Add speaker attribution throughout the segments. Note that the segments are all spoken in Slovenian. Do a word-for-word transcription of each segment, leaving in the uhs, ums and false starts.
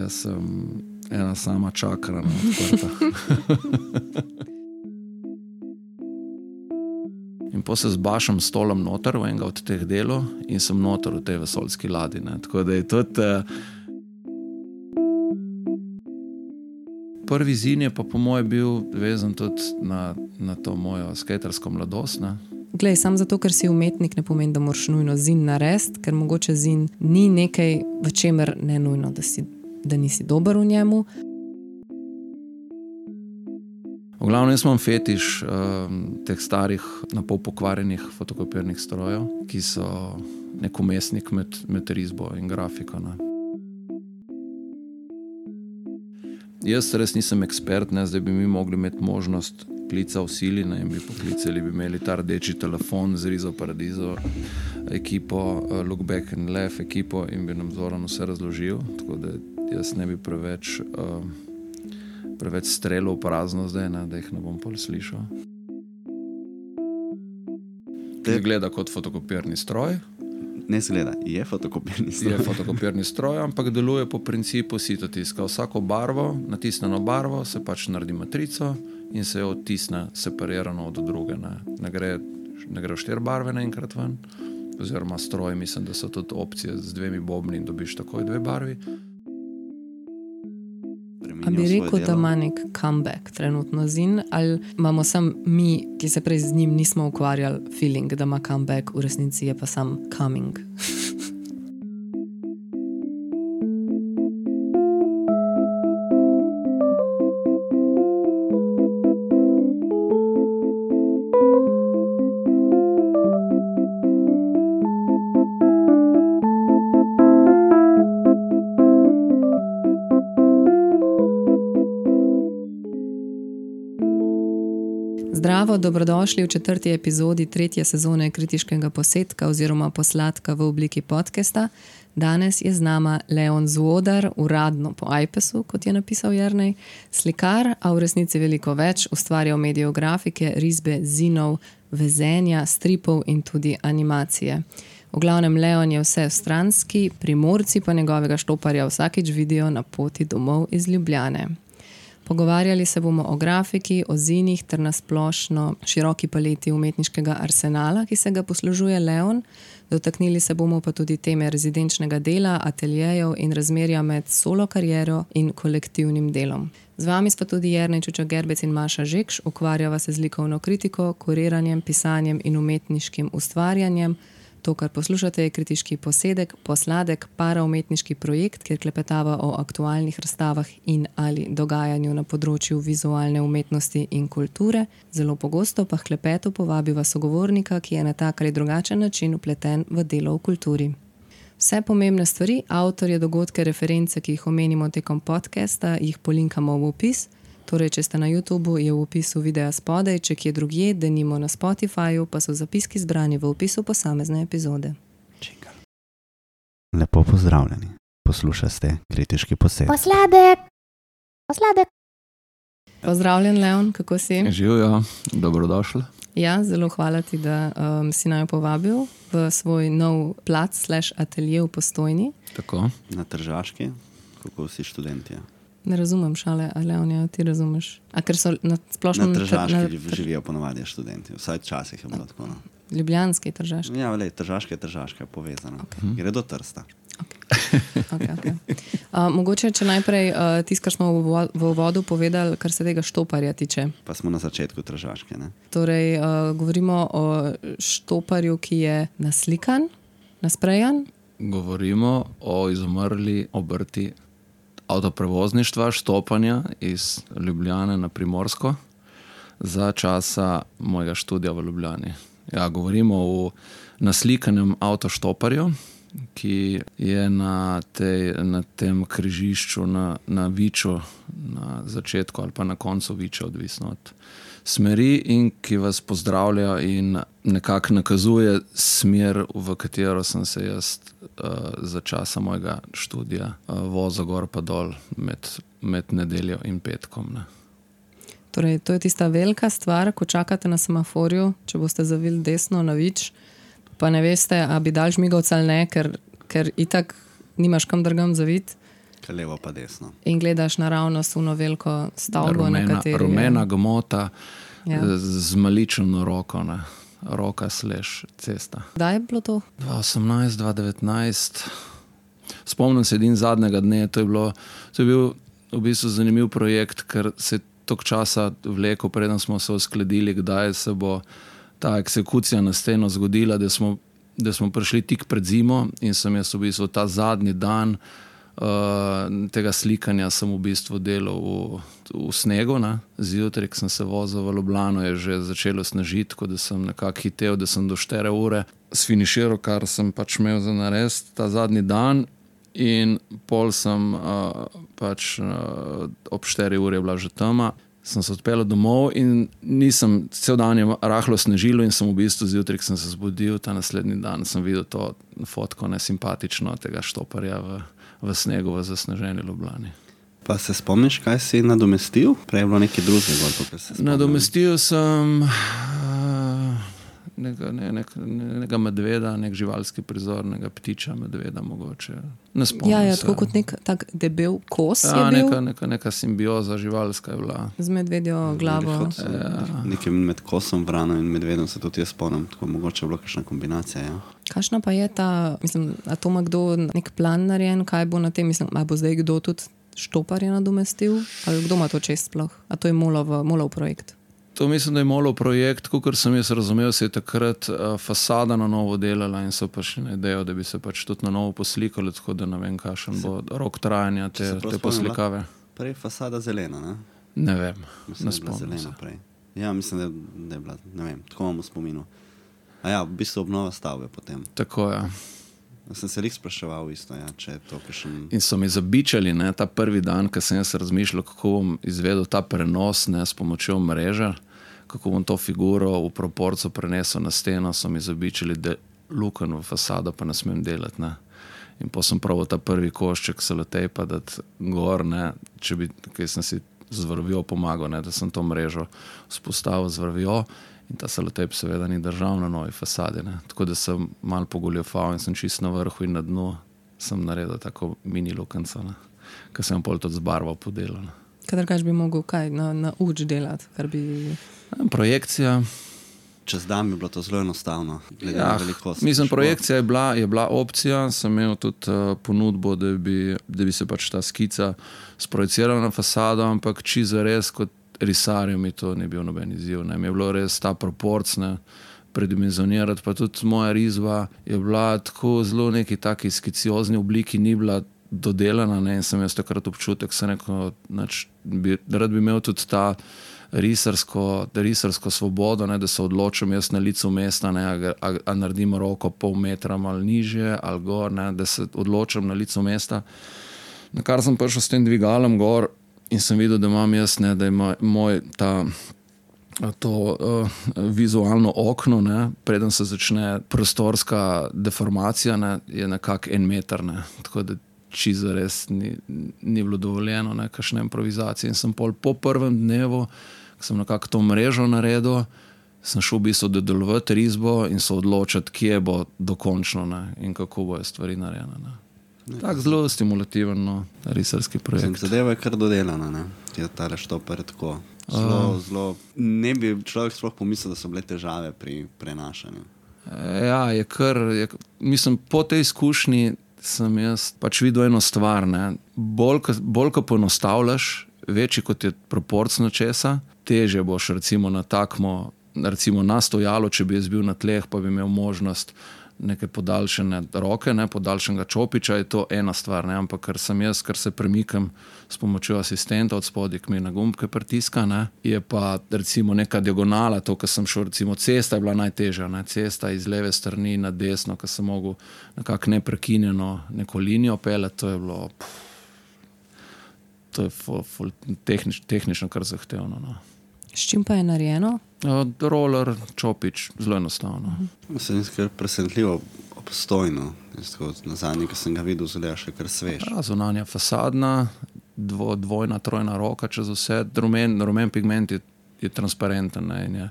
Speaker 1: jaz sem ena sama čakra, no, odprta. In po se zbašam stolom noter v enega od teh delov in sem noter v tej vesoljski ladji. Ne. Tako da je tudi... Prvi zin je pa po moje bil vezan tudi na, na to mojo skatersko mladost. Ne.
Speaker 2: Glej, sam zato, ker si umetnik, ne pomeni, da moraš nujno zin narediti, ker mogoče zin ni nekaj, v čemer ne nujno, da, si, da nisi dober v njemu.
Speaker 1: V glavnem jaz imam fetiš um, teh starih, napol pokvarjenih fotokopirnih strojev, ki so nek umestnik med, med risbo in grafiko. Ne. Jaz res nisem ekspert, ne, zdaj bi mi mogli imeti možnost klica v sili, ne, in bi poklicali, bi imeli ta rdeči telefon z Rizo Paradizo ekipo, uh, Look Back and Laugh ekipo in bi nam Zoran vse razložil, tako da jaz ne bi preveč, uh, preveč strelil v prazno zdaj, ne, da jih ne bom pol slišal. Te gleda kot fotokopirni stroj.
Speaker 3: Ne zgleda, je fotokopirni stroj.
Speaker 1: Je fotokopirni stroj, ampak deluje po principu sitotiska. Vsako barvo, natisneno barvo, se pač naredi matrico in se jo odtisne separirano od druge. Ne, ne gre, ne gre štiri barve naenkrat ven, oziroma stroj, mislim, da so tudi opcije z dvemi bobni in dobiš takoj dve barvi.
Speaker 2: A bi rekel, da ima nek comeback trenutno zin, ali imamo sam mi, ki se prej z njim nismo ukvarjali, feeling, da ima comeback, v resnici je pa sam coming. Zdravo, dobrodošli v četrti epizodi tretje sezone Kritiškega posedka oziroma posladka v obliki podcasta. Danes je z nama Leon Zvodar, uradno po ajpesu, kot je napisal Jernej, slikar, a v resnici veliko več, ustvarjal medijev grafike, risbe, zinov, vezenja, stripov in tudi animacije. V glavnem Leon je vse stranski, Primorci pa njegovega štoparja vsakič vidijo na poti domov iz Ljubljane. Pogovarjali se bomo o grafiki, o zinih ter na splošno široki paleti umetniškega arsenala, ki se ga poslužuje Leon. Dotaknili se bomo pa tudi teme rezidenčnega dela, ateljejev in razmerja med solo kariero in kolektivnim delom. Z vami sta tudi Jernej Čučak Gerbec in Maša Žekš, ukvarjava se z likovno kritiko, kuriranjem, pisanjem in umetniškim ustvarjanjem. To, kar poslušate, je kritiški posedek, posladek, paraumetniški projekt, kjer klepetava o aktualnih razstavah in ali dogajanju na področju vizualne umetnosti in kulture. Zelo pogosto pa k klepetu povabiva sogovornika, ki je na tak ali drugačen način vpleten v delo v kulturi. Vse pomembne stvari, avtorje, dogodke, reference, ki jih omenimo tekom podcasta, jih polinkamo v opis. Torej, če ste na YouTubu, je v opisu videa spodaj, če kje drugje, denimo na Spotifyju, pa so zapiski zbrani v opisu posamezne epizode.
Speaker 3: Čingal. Lepo pozdravljeni. Poslušate Kritiški posedek.
Speaker 4: Posladek! Posladek!
Speaker 2: Pozdravljen, Leon, kako si?
Speaker 1: Živijo, dobrodošli.
Speaker 2: Ja, zelo hvala ti, da um, si naj povabil v svoj nov plac slash atelje v Postojni.
Speaker 1: Tako.
Speaker 3: Na Tržaški, kako si študentje?
Speaker 2: Ne razumem šale, a Leonja, ti razumeš? A ker so na splošno...
Speaker 3: Na Tržaški na... živijo ponovadi študenti, vsaj časih je bilo tako. No.
Speaker 2: Ljubljanski Tržaški?
Speaker 3: Ja, vele, Tržaška je Tržaška, je povezana.
Speaker 2: Okay.
Speaker 3: Gre do Trsta.
Speaker 2: Okay. Okay, okay. Uh, mogoče, če najprej uh, tisto, kar smo v, v uvodu povedali, kar se tega štoparja tiče.
Speaker 3: Pa smo na začetku Tržaške, ne?
Speaker 2: Torej, uh, govorimo o štoparju, ki je naslikan, nasprejan.
Speaker 1: Govorimo o izumrli obrti avtoprevozništva, štopanja iz Ljubljane na Primorsko za časa mojega študija v Ljubljani. Ja, govorimo o naslikanem avtoštoparju, ki je na, tej, na tem križišču na, na Viču, na začetku ali pa na koncu Viča, odvisno od smeri, in ki vas pozdravlja in nekako nakazuje smer, v katero sem se jaz uh, za časa mojega študija uh, vozil gor pa dol med, med nedeljo in petkom. Ne.
Speaker 2: Torej, to je tista velika stvar, ko čakate na semaforju, če boste zavili desno na Vič, pa ne veste, a bi dal žmigovca ali ne, ker, ker itak nimaš kam drugam zaviti.
Speaker 3: Kaj levo pa desno.
Speaker 2: In gledaš naravnost v veliko stavbo,
Speaker 1: rumena,
Speaker 2: na kateri
Speaker 1: rumena
Speaker 2: je.
Speaker 1: gmota
Speaker 2: Ja.
Speaker 1: z, z malično roko, ne. Roka slash cesta.
Speaker 2: Kdaj je bilo to?
Speaker 1: dva osemnajst, dva devetnajst. Spomnim se edin zadnjega dne, to je, bilo, to je bil v bistvu zanimiv projekt, ker se je toliko časa vlekel, preden smo se uskladili, kdaj se bo ta eksekucija na steno zgodila, da smo, da smo prišli tik pred zimo in sem jaz v bistvu ta zadnji dan uh, tega slikanja sem v bistvu delal v, v snegu, ne. Zjutraj, ko sem se vozil v Ljubljano, je že začelo snežiti, tako da sem nekako hitel, da sem do štiri ure sfiniširal, kar sem pač imel za narediti ta zadnji dan. In pol sem uh, pač uh, ob štiri ure je bila že tema, sem se odpeljal domov in nisem, cel dan je rahlo snežilo in sem v bistvu zjutraj, ko sem se zbudil, ta naslednji dan sem videl to fotko nesimpatično tega štoparja v, v snegu v zasneženi Ljubljani.
Speaker 3: Pa se spomniš, kaj si nadomestil? Prej je bilo nekaj drugega, bolj to, kar se spomnim.
Speaker 1: Nadomestil sem uh, nekega, ne, nek, nekega medveda, nek živalski prizor, nekega ptiča, medveda mogoče. Ne spomnim
Speaker 2: Ja, ja,
Speaker 1: se.
Speaker 2: tako kot nek tak debel kos
Speaker 1: Ja,
Speaker 2: je bil
Speaker 1: neka, neka, neka simbioza živalska je bila.
Speaker 2: z medvedjo glavo.
Speaker 3: Ja. Nekaj med kosom, vrano in medvedom se tudi jaz spomnim, tako mogoče je bila kakšna kombinacija. Ja.
Speaker 2: Kakšna pa je ta, mislim, a to ima kdo nek plan narejen, kaj bo na tem, mislim, a bo zdaj kdo tudi štoparje nadomestil, ali kdo ima to čest sploh? A to je Molov, Molov projekt?
Speaker 1: To mislim, da je Molov projekt, kot sem jaz razumel, se je takrat uh, fasada na novo delala in so pa še na idejo, da bi se pač tudi na novo poslikali, tako da ne vem, kakšen bo rok trajanja te,
Speaker 3: se prav
Speaker 1: te
Speaker 3: spomnim,
Speaker 1: poslikave.
Speaker 3: Prej fasada zelena, ne?
Speaker 1: Ne vem,
Speaker 3: Mislim,
Speaker 1: ne
Speaker 3: da je bila
Speaker 1: spomnim se.
Speaker 3: zelena prej. Ja, mislim, da, da je bila, ne vem, tako imamo spominu. A ja, v bistvu obnova stavbe potem.
Speaker 1: Tako je.
Speaker 3: Sem se res spraševal isto, ja, če je to kakšen...
Speaker 1: In so mi zabičali, ne, ta prvi dan, ko sem jaz razmišljal, kako bom izvedel ta prenos, ne, s pomočjo mreže, kako bom to figuro v proporco prenesel na steno, so mi zabičali, da luken v fasado pa ne smem delati, ne. In po sem probal ta prvi košček selotejpa dati gor, ne, če bi, kaj sem si z vrvjo pomagal, ne, da sem to mrežo vzpostavil z vrvjo in ta selotejp seveda ni držal na novi fasadi, ne. Tako da sem malo pogoljufal in sem čist na vrhu in na dnu sem naredil tako mini lukenco, ne, ko sem pol tudi z barvo podelal, ne.
Speaker 2: Kadar kaž bi mogel kaj na, na uč delati, kar bi...
Speaker 1: Projekcija.
Speaker 3: Čez dan bi bilo to zelo enostavno, glede
Speaker 1: Ja,
Speaker 3: na velikost.
Speaker 1: mislim,
Speaker 3: škola.
Speaker 1: projekcija je bila, je bila opcija, sem imel tudi uh, ponudbo, da bi, da bi se pač ta skica sprojecirala na fasado, ampak čisto res kot risarju mi to ni bil noben izziv. Ne. Mi je bilo res ta proporc, ne, predimenzionirati, pa tudi moja risba je bila tako zelo neki taki skiciozni obliki, ni bila dodelana, ne, in sem jaz takrat občutek, sem rekel, nač, bi, rad bi imel tudi ta risarsko, risarsko svobodo, ne, da se odločim jaz na licu mesta, ne, a, a, a naredim roko pol metra malo nižje ali gor, ne, da se odločim na licu mesta. Na kar sem prišel s tem dvigalom gor in sem videl, da imam jaz, ne, da ima moj ta to uh, vizualno okno, ne, preden se začne prostorska deformacija, ne, je nekako en meter, ne, tako da čisto res ni, ni bilo dovoljeno, ne, kakšne improvizacije. In sem pol po prvem dnevu, ko sem nekako to mrežo naredil, sem šel v bistvu dodelovati risbo in se odločiti, kje bo dokončno, ne, in kako bojo stvari narejene. Ne. Tak zelo stimulativen, no, risarski projekt.
Speaker 3: Zadeva je kar dodelana, ne? Je tale štopar tako. Zelo, uh. zelo, ne bi človek sploh pomislil, da so bile težave pri prenašanju.
Speaker 1: Ja, je kar, je, mislim, po tej izkušnji sem jaz pač videl eno stvar, ne. Bolj, bolj ko poenostavljaš, večji kot je proporc česa, težje boš recimo na takmo, recimo na stojalo, če bi jaz bil na tleh, pa bi imel možnost neke podaljšene roke, ne, podaljšenega čopiča, je to ena stvar, ne, ampak ker sem jaz, ker se premikam s pomočjo asistenta od spodaj, ki mi na gumbke pritiska, ne, je pa recimo neka diagonala, to, ko sem šel, recimo cesta je bila najtežja, ne, cesta iz leve strani na desno, ko sem mogel nekako neprekinjeno neko linijo peljati, to je bilo, pff, to je ful, ful, tehnič, tehnično kar zahtevno, no.
Speaker 2: S čim pa je narejeno?
Speaker 1: Roller, čopič, zelo enostavno.
Speaker 3: Uh-huh. Se mi je kar presenetljivo obstojno. Na zadnji, ko sem ga videl, zelo še kar svež.
Speaker 1: Ja, zunanja fasadna, dvo, dvojna, trojna roka čez vse. Rumen, rumen pigment je, je transparenten. Ne, in, je,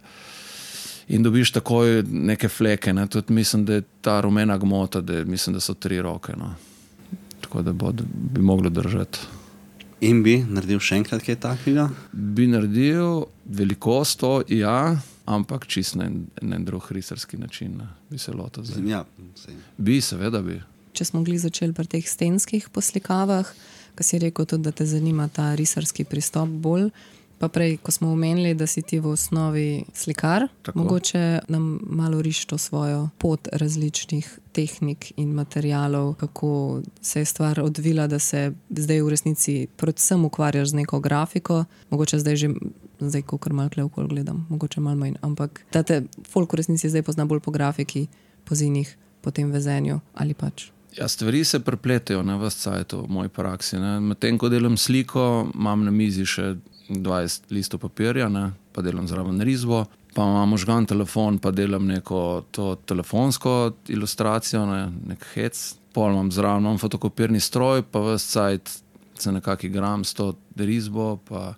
Speaker 1: in dobiš takoj neke fleke. Ne. Tudi mislim, da je ta rumena gmota, da, mislim, da so tri roke. No. tako da bo, bi moglo držati.
Speaker 3: In bi naredil še enkrat kaj takega?
Speaker 1: Bi naredil velikost, to, ja, ampak čist na en, en drug risarski način, ne, bi se lotil zdaj.
Speaker 3: Ja, sej.
Speaker 1: Bi, seveda bi.
Speaker 2: Če smo gli začeli pri teh stenskih poslikavah, ko si rekel tudi, da te zanima ta risarski pristop bolj, pa prej, ko smo omenili, da si ti v osnovi slikar,
Speaker 1: Tako.
Speaker 2: mogoče nam malo riš to svojo pot različnih tehnik in materialov, kako se je stvar odvila, da se zdaj v resnici predvsem ukvarjaš z neko grafiko, mogoče zdaj že, zdaj kakor malo kle okol gledam, mogoče malo manj, ampak da te folk v resnici zdaj pozna bolj po grafiki, po zinih, po tem vezenju ali pač.
Speaker 1: Ja, stvari se prepletejo na vas cajtu v moji praksi. Ne. Medtem, ko delam sliko, imam na mizi še dvajset listov papirja, ne, pa delam zraven risbo, pa imam možgan telefon, pa delam neko to telefonsko ilustracijo, ne, nek hec, pol imam zraven imam fotokopirni stroj, pa vas cajt se nekak igram s to risbo, pa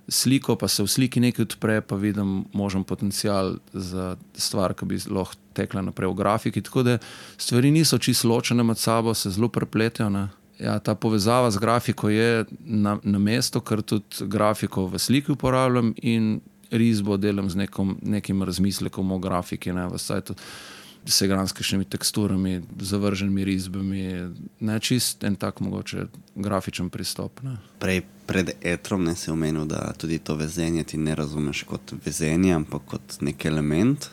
Speaker 1: sliko, pa se v sliki nekaj odpre, pa vidim možen potencial za stvar, ki bi lahko tekla naprej v grafiki, tako da stvari niso čisto ločene med sabo, se zelo prepletejo, ne. Ja, ta povezava z grafiko je na, na mesto, ker tudi grafiko v sliki uporabljam in risbo delam z nekom, nekim razmislekom o grafiki, ne, v sajtu se igram s kakšnimi teksturami, zavrženimi risbami, ne, čist en tak mogoče grafičen pristop, ne.
Speaker 3: Prej pred etrom ne si omenil, da tudi to vezenje ti ne razumeš kot vezenje, ampak kot nek element.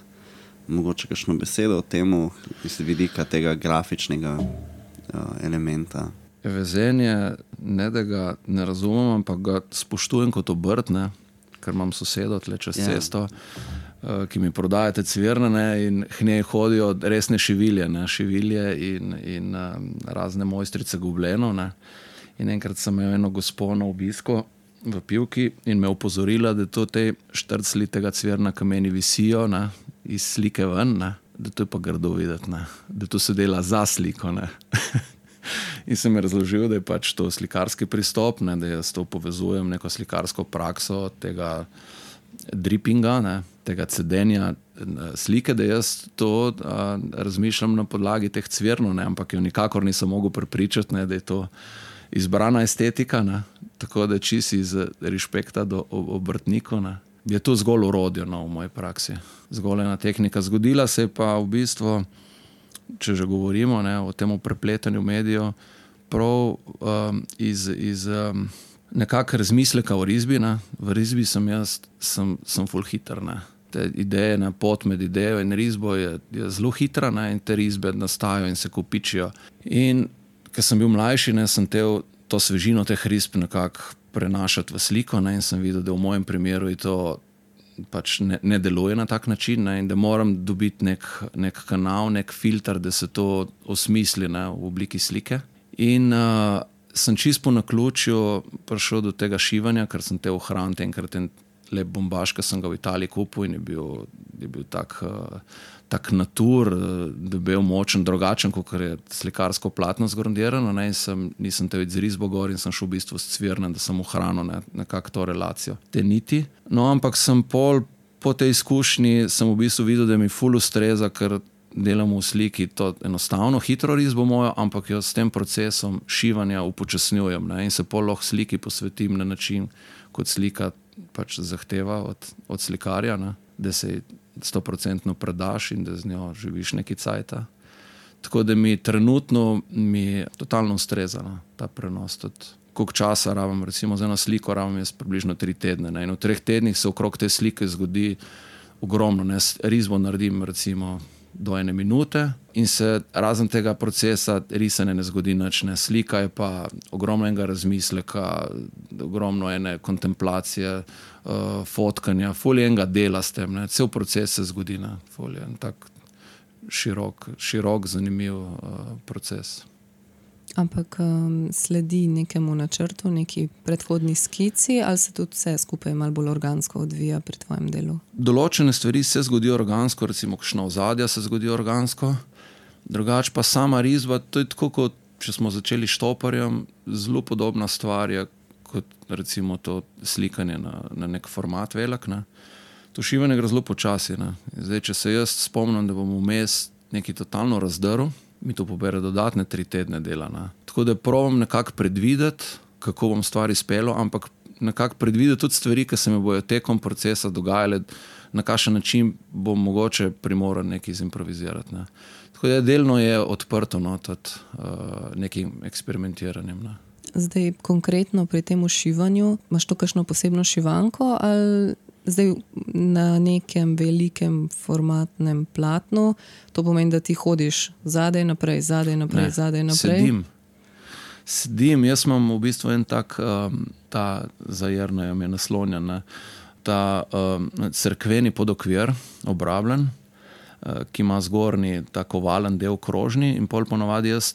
Speaker 3: Mogoče kakšno besedo o temu iz vidika tega grafičnega uh, elementa.
Speaker 1: Vezenje, ne da ga ne razumem, ampak ga spoštujem kot obrt, ne, ker imam sosedo tle čez
Speaker 3: Ja.
Speaker 1: cesto, uh, ki mi prodajate cvirne, ne, in k njej hodijo resne šivilje, ne, šivilje in, in uh, razne mojstrice goblenov, ne. In enkrat sem imel eno gospo na obisku v pivki in me opozorila, da to te štrcli tega cvirna, ki meni visijo, ne, iz slike ven, ne, da to je pa grdo videti, ne, da to se dela za sliko, ne. In sem mi razložil, da je pač to slikarski pristop, ne, da jaz to povezujem neko slikarsko prakso tega drippinga, ne, tega cedenja slike, da jaz to a, razmišljam na podlagi teh cvirnov, ne, ampak jo nikakor nisem mogel prepričati, ne, da je to izbrana estetika, ne, tako da čisi iz respekta do obrtnikov, ne. Je to zgolj orodje, no, v moji praksi. Zgolj ena tehnika. Zgodila se je pa v bistvu, če že govorimo, ne, o tem prepletanju medijev, prav um, iz, iz um, nekak razmisleka o risbi, ne. V risbi sem jaz, sem, sem ful hiter, ne. Te ideje, ne, pot med idejo in risbo je, je zelo hitra, ne, in te risbe nastajajo in se kopičijo. In ker sem bil mlajši, ne, sem tel to svežino teh risb nekako prenašati v sliko, ne, in sem videl, da v mojem primeru je to pač ne, ne deluje na tak način, ne, in da moram dobiti nek, nek kanal, nek filter, da se to osmisli, ne, v obliki slike. In uh, sem čist po naključju prišel do tega šivanja, ker sem te ohranil enkrat en lep bombaž, ki sem ga v Italiji kupil in je bil, je bil tak, uh, tak natur, da je bil močen, drugačen, kot je slikarsko platno zgrondirano, ne, in sem, nisem te z risbo gor in sem šel v bistvu s cvirnem, da sem ohranil, ne, nekako to relacijo, te niti. No, ampak sem pol, po tej izkušnji sem v bistvu videl, da mi ful ustreza, ker delam v sliki to enostavno, hitro risbo mojo, ampak jo s tem procesom šivanja upočasnjujem, ne, in se pol lahko sliki posvetim na način, kot slika pač zahteva od, od slikarja, ne, da se sto procentno predaš in da z njo živiš neki cajta. Tako da mi trenutno mi totalno ustreza, ne, ta prenos. Tudi koliko časa rabim, recimo za eno sliko rabim jaz približno tri tedne, ne, in v treh tednih se okrog te slike zgodi ogromno, ne, risbo naredim recimo do ene minute in se razen tega procesa risanja ne zgodi nič, ne. Slika je pa ogromno enega razmisleka, ogromno ene kontemplacije, uh, fotkanja, ful je enega dela s tem, ne. Cel proces se zgodi, ne. Ful je en tak širok, širok, zanimiv uh, proces.
Speaker 2: Ampak um, sledi nekemu načrtu, neki predhodni skici ali se tudi vse skupaj malo bolj organsko odvija pri tvojem delu?
Speaker 1: Določene stvari se zgodijo organsko, recimo kakšna ozadja se zgodijo organsko, drugače pa sama risba, to je tako kot, če smo začeli štoparjem, zelo podobna stvar je kot recimo to slikanje na, na nek format velik, ne. To šivanje gre zelo počasi, ne. Zdaj, če se jaz spomnim, da bom vmes nekaj totalno razdrl, mi to pobere dodatne tri tedne dela, ne. Tako da probam nekako predvideti, kako bom stvari izpeljal, ampak nekako predvideti tudi stvari, ki se mi bojo tekom procesa dogajale, na kakšen način bom mogoče primoran nekaj zimprovizirati. Ne. Tako da delno je odprto no, tudi uh, nekim eksperimentiranjem. Ne.
Speaker 2: Zdaj, konkretno pri tem šivanju, imaš to kakšno posebno šivanko ali zdaj na nekem velikem formatnem platnu, to pomeni, da ti hodiš zadaj naprej, zadaj naprej,
Speaker 1: Ne,
Speaker 2: zadaj naprej?
Speaker 1: Sedim. Sedim, jaz imam v bistvu en tak, um, ta zajerno je naslonjen, ne, ta um, cerkveni podokvir, obrabljen, uh, ki ima zgornji tako ovalen del krožni in pol ponovadi jaz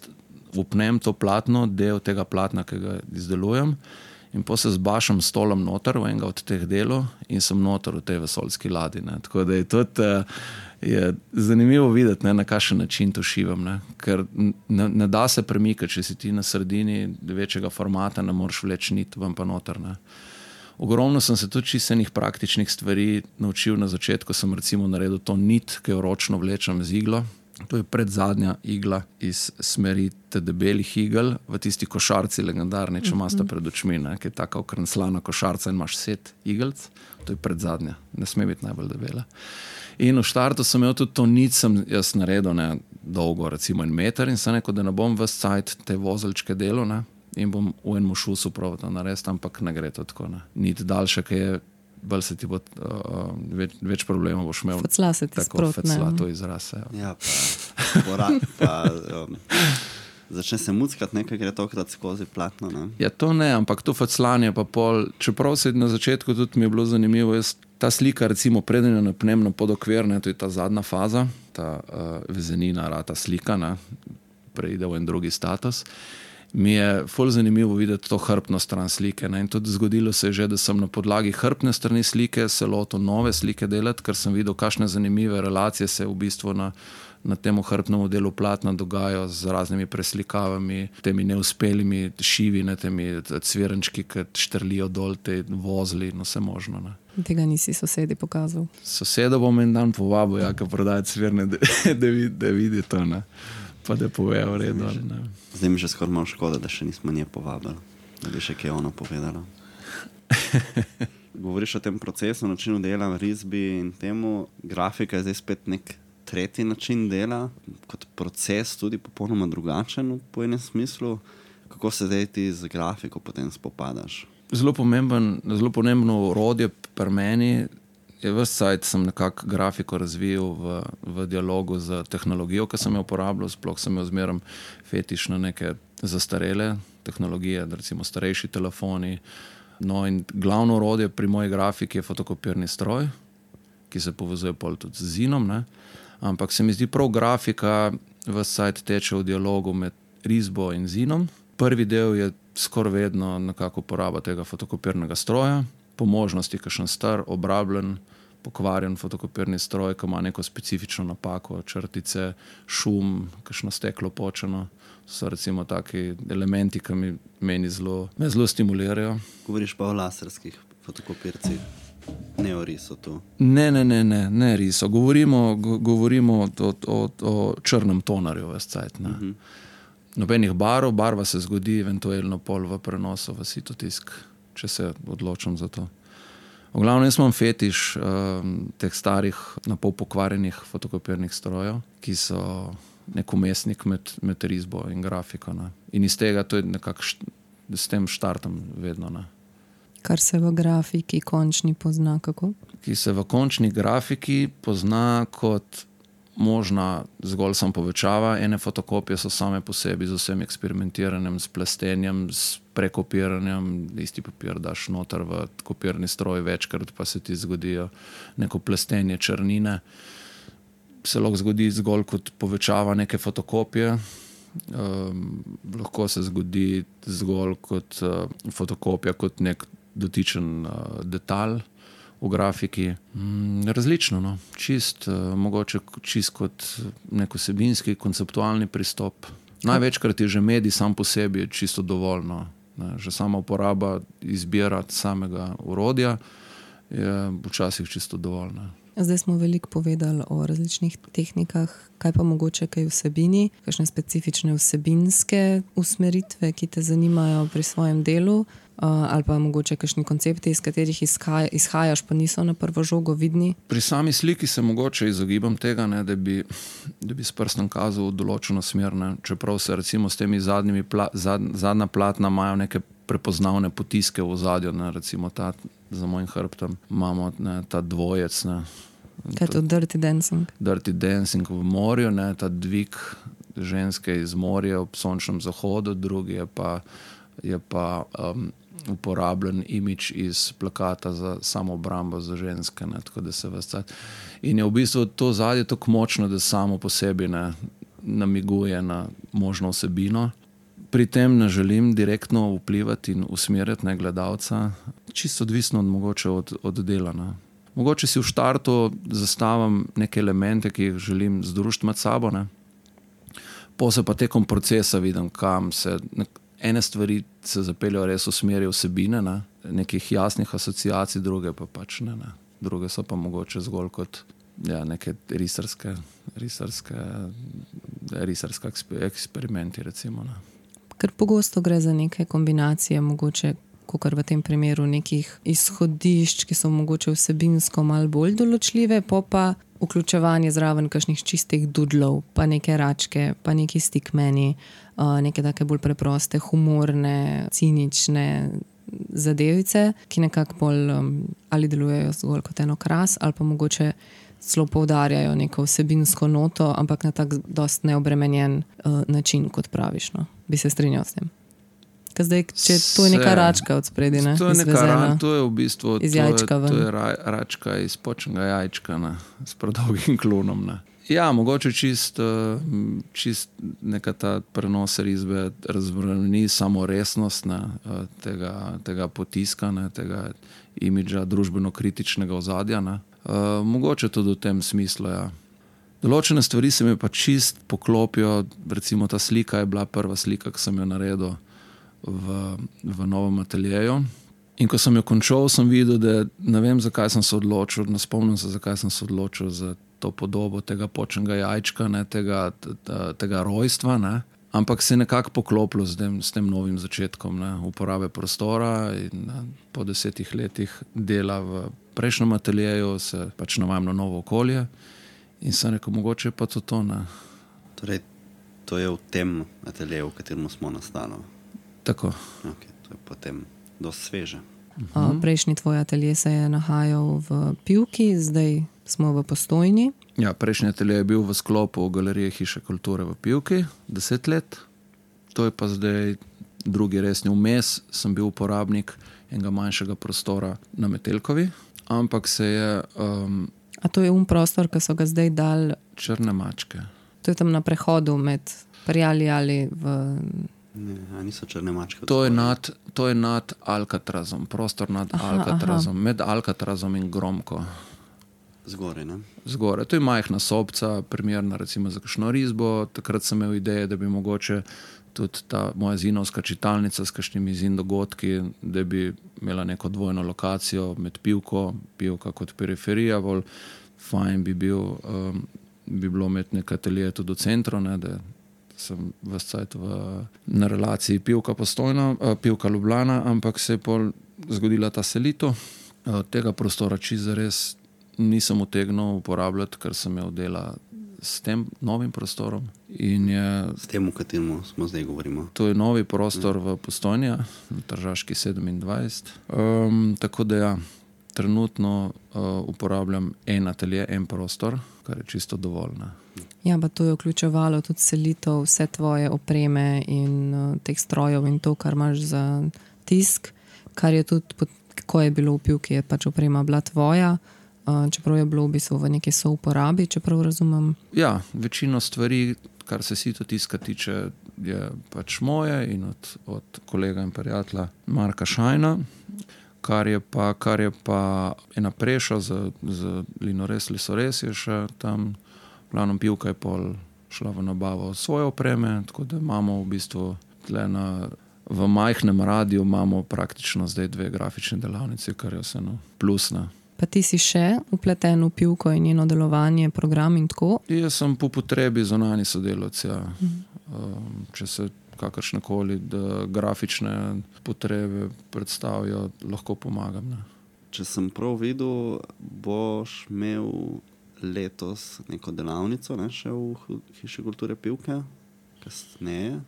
Speaker 1: upnem to platno, del tega platna, ki ga izdelujem in pol se zbašam stolom noter v enega od teh delov in sem noter v tej vesoljski ladji. Ne. Tako da je tudi uh, je zanimivo videti, ne, na kakšen način to šivam, ne. Ker ne, ne da se premikati, če si ti na sredini večjega formata, ne moreš vleči nit ven pa noter. Ne. Ogromno sem se tudi čisto enih praktičnih stvari naučil na začetku, sem recimo naredil to nit, ki jo ročno vlečem z iglo. To je predzadnja igla iz smeri te debelih igel v tisti košarci legendarni, če imaš pred očmi, ne, ki je taka okrenslana košarca in imaš set igelc, to je predzadnja, ne sme biti najbolj debela. In v štartu sem imel tudi to nit, sem jaz naredil ne, dolgo, recimo en meter in sem rekel, da ne bom ves cajt te vozelčke delal, ne, in bom v enem šusu probal to narediti, ampak ne gre to tako. Ne. Nit daljša, ki je bolj se ti bo uh, več, več problemov boš imel.
Speaker 2: Fecla se ti
Speaker 1: tako
Speaker 2: sprot,
Speaker 1: fecla,
Speaker 2: ne.
Speaker 1: to izraz.
Speaker 3: Ja, pa, pora, pa um, začne se muckati, nekaj gre tokrat skozi platno. Ne?
Speaker 1: Ja, to ne, ampak to feclanje pa pol, čeprav se na začetku tudi mi je bilo zanimivo, jaz, ta slika recimo preden jo napnem na podokvir, ne, to je ta zadnja faza, ta uh, vezenina, rata slika, ne, preide v en drugi status. Mi je ful zanimivo videti to hrbtno stran slike. Ne? In tudi zgodilo se je že, da sem na podlagi hrbtne strani slike se lotil nove slike delati, ker sem videl, kakšne zanimive relacije se v bistvu na, na tem hrbtnem delu platna dogajajo z raznimi preslikavami, temi neuspelimi šivi, ne, temi cvirenčki, ki štrlijo dol, te vozli, no vse možno. Ne?
Speaker 2: Tega nisi sosedi pokazal.
Speaker 1: Soseda bom en dan povabil, ja, ki prodaja cvirne, da, da, vidi, da vidi to. Ne? Pa da pove v redu. Ne.
Speaker 3: Zdaj mi že skoraj malo škoda, da še nismo nje povabili, da bi še kaj ono povedala. Govoriš o tem procesu, načinu dela, risbi in temu. Grafika je zdaj spet nek tretji način dela, kot proces tudi popolnoma drugačen po enem smislu. Kako se zdaj ti z grafiko potem spopadaš?
Speaker 1: Zelo pomemben, zelo pomembno orodje pri meni. Je ves cajt sem nekako grafiko razvijal v, v dialogu z tehnologijo, ki sem jo uporabljal, sploh sem jo zmeram fetiš na neke zastarele tehnologije, recimo starejši telefoni. No in glavno orodje pri moji grafiki je fotokopirni stroj, ki se povezuje pol tudi z zinom, ne? Ampak se mi zdi prav grafika ves cajt teče v dialogu med risbo in zinom. Prvi del je skoraj vedno nekako uporaba tega fotokopirnega stroja, po možnosti kakšen star, obrabljen, pokvarjen fotokopirni stroj, ki ima neko specifično napako, črtice, šum, kakšno steklo počeno. So recimo taki elementi, ki mi meni zelo, me zelo stimulirajo.
Speaker 3: Govoriš pa o laserskih fotokopircih, ne o risu tu.
Speaker 1: Ne, ne, ne, ne, ne riso. Govorimo, go, govorimo o, o, o črnem tonarju ves cajt, ne. Uh-huh. Nobenih barov, barva se zgodi eventualno pol v prenosu v sitotisk, če se odločim za to. V glavnem, jaz imam fetiš um, teh starih, napol pokvarjenih fotokopirnih strojev, ki so nek umestnik med, med risbo in grafiko. Ne. In iz tega to je nekako, št, s tem štartam vedno. Ne.
Speaker 2: Kar se v grafiki končni pozna kako?
Speaker 1: Ki se v končni grafiki pozna kot možna zgolj sam povečava. Ene fotokopije so same po sebi z vsem eksperimentiranjem, s plastenjem, s prekopiranjem. Isti papir daš noter v kopirni stroj večkrat, pa se ti zgodijo neko plastenje črnine. Se lahko zgodi zgolj kot povečava neke fotokopije. Um, lahko se zgodi zgolj kot uh, fotokopija, kot nek dotičen uh, detalj v grafiki. Mm, različno, no. Čist, uh, mogoče čist kot nek vsebinski, konceptualni pristop. Največkrat je že medij sam po sebi čisto dovolj, no. Že sama uporaba izbira samega orodja je včasih čisto dovolj. Ne.
Speaker 2: Zdaj smo veliko povedali o različnih tehnikah, kaj pa mogoče kaj vsebini, kakšne specifične vsebinske usmeritve, ki te zanimajo pri svojem delu, ali pa mogoče kakšni koncepti, iz katerih izhaja, izhajaš, pa niso na prvo žogo vidni.
Speaker 1: Pri sami sliki se mogoče izogibam tega, ne, da bi, da bi s prstom kazal v določeno smer, ne. Čeprav se recimo s temi zadnjimi pla, zad, zadnja platna imajo neke prepoznavne potiske v ozadju, ne, recimo ta za mojim hrbtom imamo, ne, ta dvojec, ne.
Speaker 2: Kaj je to Dirty Dancing?
Speaker 1: Dirty Dancing v morju, ne, ta dvig ženske iz morja ob sončnem zahodu, drugi je pa, je pa um, uporabljen imidž iz plakata za samoobrambo za ženske, ne, tako da se vas cajt. In je v bistvu to zadje tako močno, da samo po sebi ne namiguje na možno vsebino. Pri tem ne želim direktno vplivati in usmerjati ne gledalca, čisto odvisno od, mogoče od, od dela. Ne. Mogoče si v štartu zastavim neke elemente, ki jih želim združiti med sabo, ne. Po se pa tekom procesa vidim, kam se, ene stvari se zapeljajo res v smeri vsebine, ne. Nekih jasnih asociacij, druge pa pač ne, ne. Druge so pa mogoče zgolj kot ja, neke risarske, risarske, risarske eksperimenti, recimo. Ne.
Speaker 2: Ker pogosto gre za neke kombinacije, mogoče kakor v tem primeru nekih izhodišč, ki so mogoče vsebinsko malo bolj določljive, po pa vključevanje zraven kakšnih čistih dudlov, pa neke račke, pa neki stickmani, neke take bolj preproste, humorne, cinične zadevice, ki nekako bolj ali delujejo zgolj kot eno kras, ali pa mogoče celo poudarjajo neko vsebinsko noto, ampak na tak dost neobremenjen uh, način, kot praviš. No. Bi se strinjal s tem. Ker zdaj, če to je neka račka od spredi, ne?
Speaker 1: To je, neka, ra, to je v bistvu
Speaker 2: iz jajčka
Speaker 1: to je, to je ra, račka iz počnega jajčka, ne? S predolgim klonom. Ne? Ja, mogoče čist, čist neka ta prenos risbe razbrani samo resnost, ne? Tega, tega potiska, ne? Tega imidža družbeno-kritičnega ozadja. Ne? Uh, mogoče tudi v tem smislu, ja. Določene stvari se mi pa čist poklopijo, recimo ta slika je bila prva slika, ki sem jo naredil v, v novem ateljeju. In ko sem jo končal, sem videl, da ne vem, zakaj sem se odločil, ne spomnim se, zakaj sem se odločil za to podobo tega počnega jajčka, ne, tega, tega rojstva, ne. Ampak se je nekako poklopilo s tem, s tem novim začetkom, ne, uporabe prostora in ne, po desetih letih dela v prejšnjem ateljeju se pač navajam na novo okolje in sem rekel, mogoče pa to to, ne.
Speaker 3: Torej, to je v tem ateljeju, v katerem smo nastali.
Speaker 1: Tako.
Speaker 3: Ok, to je potem dosti sveže.
Speaker 2: Uh, prejšnji tvoj atelje se je nahajal v Pivki, zdaj smo v Postojni.
Speaker 1: Ja, prejšnji atelje je bil v sklopu Galerije Hiše kulture v Pivki, deset let. To je pa zdaj drugi resni vmes, sem bil uporabnik enega manjšega prostora na Metelkovi, ampak se je... Um,
Speaker 2: A to je um prostor, ki so ga zdaj dali...
Speaker 1: Črne mačke.
Speaker 2: To je tam na prehodu med Prijali ali v...
Speaker 3: Ne, a niso črne mačke.
Speaker 1: To je nad, to je nad Alcatrazom, prostor nad aha, Alcatrazom, aha. Med Alcatrazom in Gromko.
Speaker 3: Zgore, ne?
Speaker 1: Zgore. To je majhna sobca, primerna recimo za kakšno risbo. Takrat sem imel ideje, da bi mogoče tudi ta moja zinovska čitalnica s kakšnimi zin dogodki, da bi imela neko dvojno lokacijo med Pivko, Pivka kot periferija, bolj fajn bi, bil, um, bi bilo imeti nekaj atelje tudi v centru, ne, da sem ves cajt v, na relaciji Pivka Postojna, uh, Pivka Ljubljana, ampak se je pol zgodila ta selitev. Uh, tega prostora čisto res nisem utegnil uporabljati, ker sem imel dela s tem novim prostorom. In je,
Speaker 3: s tem, v katerem smo zdaj govorimo.
Speaker 1: To je novi prostor v Postojni, na Tržaški sedemindvajset. Um, tako da ja, trenutno uh, uporabljam en atelje, en prostor, kar je čisto dovolj. Ne.
Speaker 2: Ja, pa to je vključevalo tudi selitev vse tvoje opreme in uh, teh strojev in to, kar imaš za tisk, kar je tudi, ko je bilo v Pivki, je pač oprema bila tvoja, uh, čeprav je bilo v bistvu v neki souporabi, čeprav razumem.
Speaker 1: Ja, večino stvari, kar se sito tiska tiče, je pač moje in od, od kolega in prijatelja Marka Šajna, kar je pa, kar je pa ena preša z, z Linores Lisores je še tam. Planom Pivka je pol šla v nabavo svoje opreme, tako da imamo v bistvu tle na, v majhnem radiju imamo praktično zdaj dve grafične delavnice, kar je vseeno plusna.
Speaker 2: Pa ti si še upleten v pivko in njeno delovanje, program in tako?
Speaker 1: Jaz sem po potrebi zunanji sodelavec, ja. Um, če se kakršnekoli grafične potrebe predstavijo, lahko pomagam. Ne.
Speaker 3: Če sem prav videl, boš imel letos neko delavnico, ne, še v Hiši kulture Pivke, kasneje,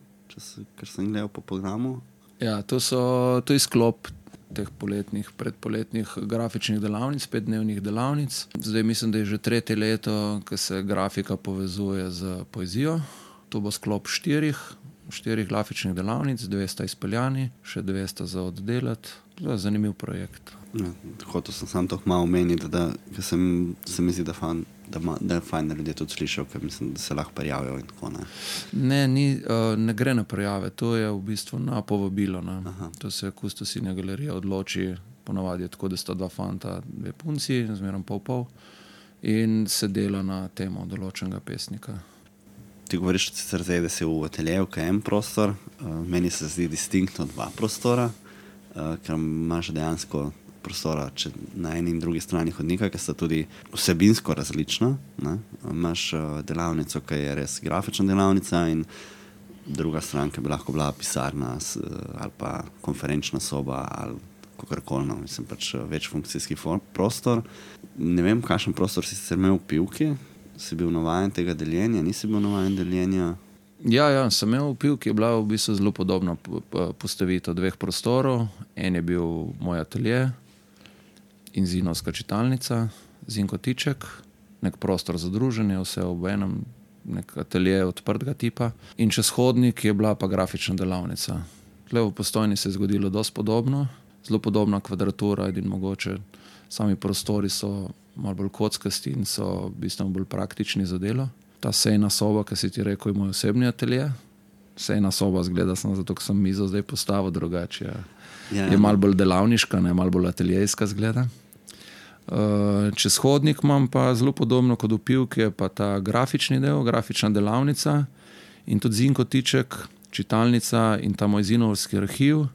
Speaker 3: ker sem gledal po programu.
Speaker 1: Ja, to so, to je sklop teh poletnih, predpoletnih grafičnih delavnic, petdnevnih delavnic. Zdaj mislim, da je že tretje leto, ko se grafika povezuje z poezijo. To bo sklop štirih, štirih grafičnih delavnic, dve sta izpeljani, še dve sta za oddelati. To je zanimiv projekt.
Speaker 3: Ja, hotel sem samo to malo omeniti, da, da sem, se mi zdi, da, fan, da, ma, da je fajn, da ljudje tudi slišal, ker mislim, da se lahko prijavijo in tako ne.
Speaker 1: Ne, ni, uh, ne gre na prijave, to je v bistvu na povabilo. Ne. To se Kustosinja galerija odloči, ponavadi je tako, da sta dva fanta, dve punci, zmerom pol pol, in se dela na temo določenega pesnika.
Speaker 3: Ti govoriš sicer zdaj, da si v ateljeju, kaj je en prostor, uh, meni se zdi distinktno dva prostora, uh, ker imaš dejansko prostora če na eni in drugi strani hodnika, ki sta tudi vsebinsko različna. Ne? Imaš uh, delavnico, ki je res grafična delavnica in druga stran, ki bi lahko bila pisarna s, ali pa konferenčna soba ali kakorkoli, no, mislim pač večfunkcijski prostor. Ne vem, kakšen prostor si sicer imel v Pivki, si bil navajen tega deljenja, nisi bil navajen deljenja?
Speaker 1: Ja, ja, sem imel v Pivki, je bila v bistvu zelo podobna postavitev dveh prostorov. En je bil moj atelje in Zinovska čitalnica, Zinko Tiček, nek prostor za druženje, vse ob enem, nek atelje odprtega tipa. In čez hodnik je bila pa grafična delavnica. Tle v Postojni se je zgodilo dosti podobno, zelo podobna kvadratura, in mogoče sami prostori so malo bolj kockasti in so bistveno bolj praktični za delo. Ta sejna soba, ki si ti rekel, je moj osebni atelje. Sejna soba zgleda sem zato, ker sem mizo zdaj postavil drugače. Ja. Ja, je malo bolj delavniška, ne, malo bolj ateljejska zgleda. Uh, čez hodnik imam pa zelo podobno kot v Pivki, je pa ta grafični del, grafična delavnica in tudi Zinko Tiček, čitalnica in ta moj zinovski arhiv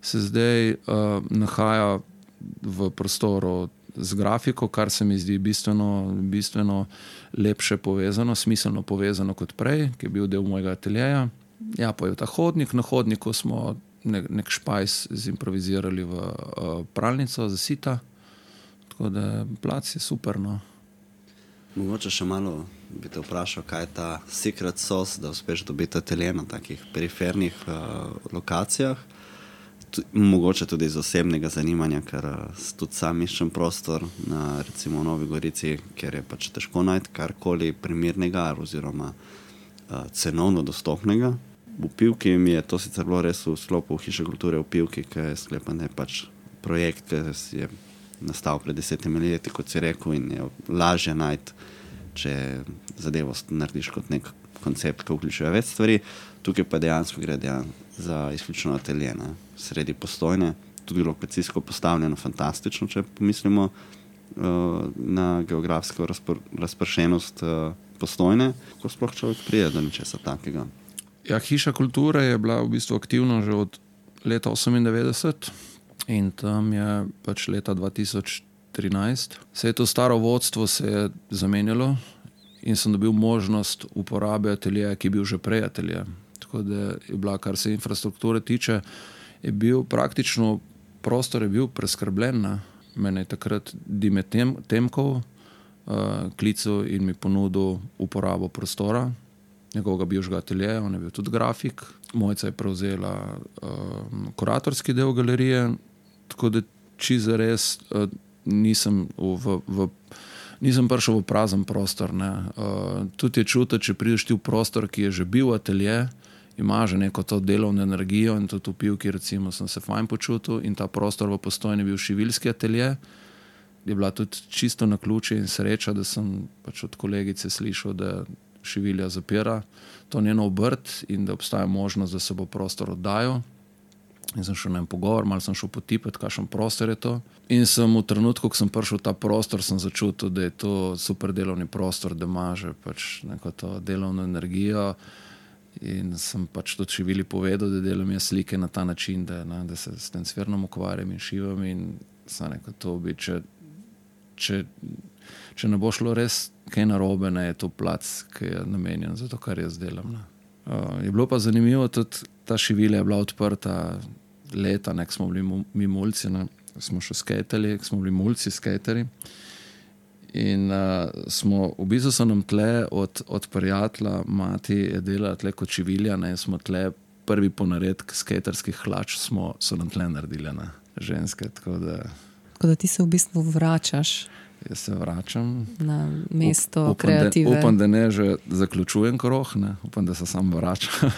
Speaker 1: se zdaj uh, nahaja v prostoru z grafiko, kar se mi zdi bistveno, bistveno lepše povezano, smiselno povezano kot prej, ki je bil del mojega ateljeja. Ja, pa je ta hodnik, na hodniku smo nek, nek špajs zimprovizirali v uh, pralnico za sita, tako da plac je super, no.
Speaker 3: Mogoče še malo bi te vprašal, kaj je ta secret sauce, da uspeš dobiti atelje na takih perifernih uh, lokacijah. Mogoče tudi iz osebnega zanimanja, ker tudi sam iščem prostor na recimo v Novi Gorici, ker je pač težko najti karkoli primernega oziroma uh, cenovno dostopnega. V Pivki mi je to sicer bilo res v sklopu Hiše kulture v Pivki, ki je sklepan, da je pač projekt, ki je nastal pred desetimi leti, kot si rekel, in je lažje najti, če zadevo narediš kot nek koncept, ki vključuje več stvari. Tukaj pa dejansko gre dejansko za izključno atelje, ne? Sredi Postojne, tudi lokacijsko postavljeno fantastično, če pomislimo uh, na geografsko razpor, razpršenost uh, Postojne, ko sploh človek prije do ničesa takega.
Speaker 1: Ja, Hiša kulture je bila v bistvu aktivna že od leta osemindevetdeset in tam je pač leta dva tisoč trinajst. Se je to staro vodstvo se je zamenjalo in sem dobil možnost uporabe ateljeja, ki je bil že prej atelje. Tako da je bila, kar se infrastrukture tiče, je bil praktično, prostor je bil preskrbljen. Ne? Mene je takrat Dime Tem, Temkov uh, klical in mi ponudil uporabo prostora, njegovega bivšega ateljeja, on je bil tudi grafik. Mojca je prevzela uh, kuratorski del galerije, tako da čisto res uh, nisem v, v Nisem prišel v prazen prostor. Ne. Uh, tudi je čutiti, če prideš ti v prostor, ki je že bil atelje, ima že neko to delovno energijo in tudi v Pivki recimo sem se fajn počutil in ta prostor v Postojni bil šiviljski atelje. Je bila tudi čisto na ključe in sreča, da sem pač od kolegice slišal, da Šivilja zapira to njeno obrt in da obstaja možnost, da se bo prostor oddajal. In sem šel na en pogovor, malo sem šel potipati, kakšen prostor je to. In sem v trenutku, ko sem prišel v ta prostor, sem začutil, da je to super delovni prostor, da ima že pač neko to delovno energijo. In sem pač tudi Šivili povedal, da delam jaz slike na ta način, da, ne, da se s tem cvernom ukvarjam in šivam in sem rekel, to bi, če če, če ne bo šlo res kaj narobe, ne, je to plac, ki je namenjen za to, kar jaz delam. Ne. Uh, je bilo pa zanimivo, tudi ta šivilja je bila odprta leta, nek smo bili mu, mi mulci, ne. Smo še skatali, smo bili mulci, skateri. In uh, smo, v bistvu so nam tle od, od prijatelja, mati je delala tle kot šivilja, ne, in smo tle prvi ponaredek skaterskih hlač smo, so nam tle naredile, ne, ženske, tako da...
Speaker 2: Tako da ti se v bistvu vračaš.
Speaker 1: Jaz se vračam.
Speaker 2: Na mesto
Speaker 1: Up, upam,
Speaker 2: kreative.
Speaker 1: Da, upam, da ne že zaključujem krog, ne, upam, da se sam vračam.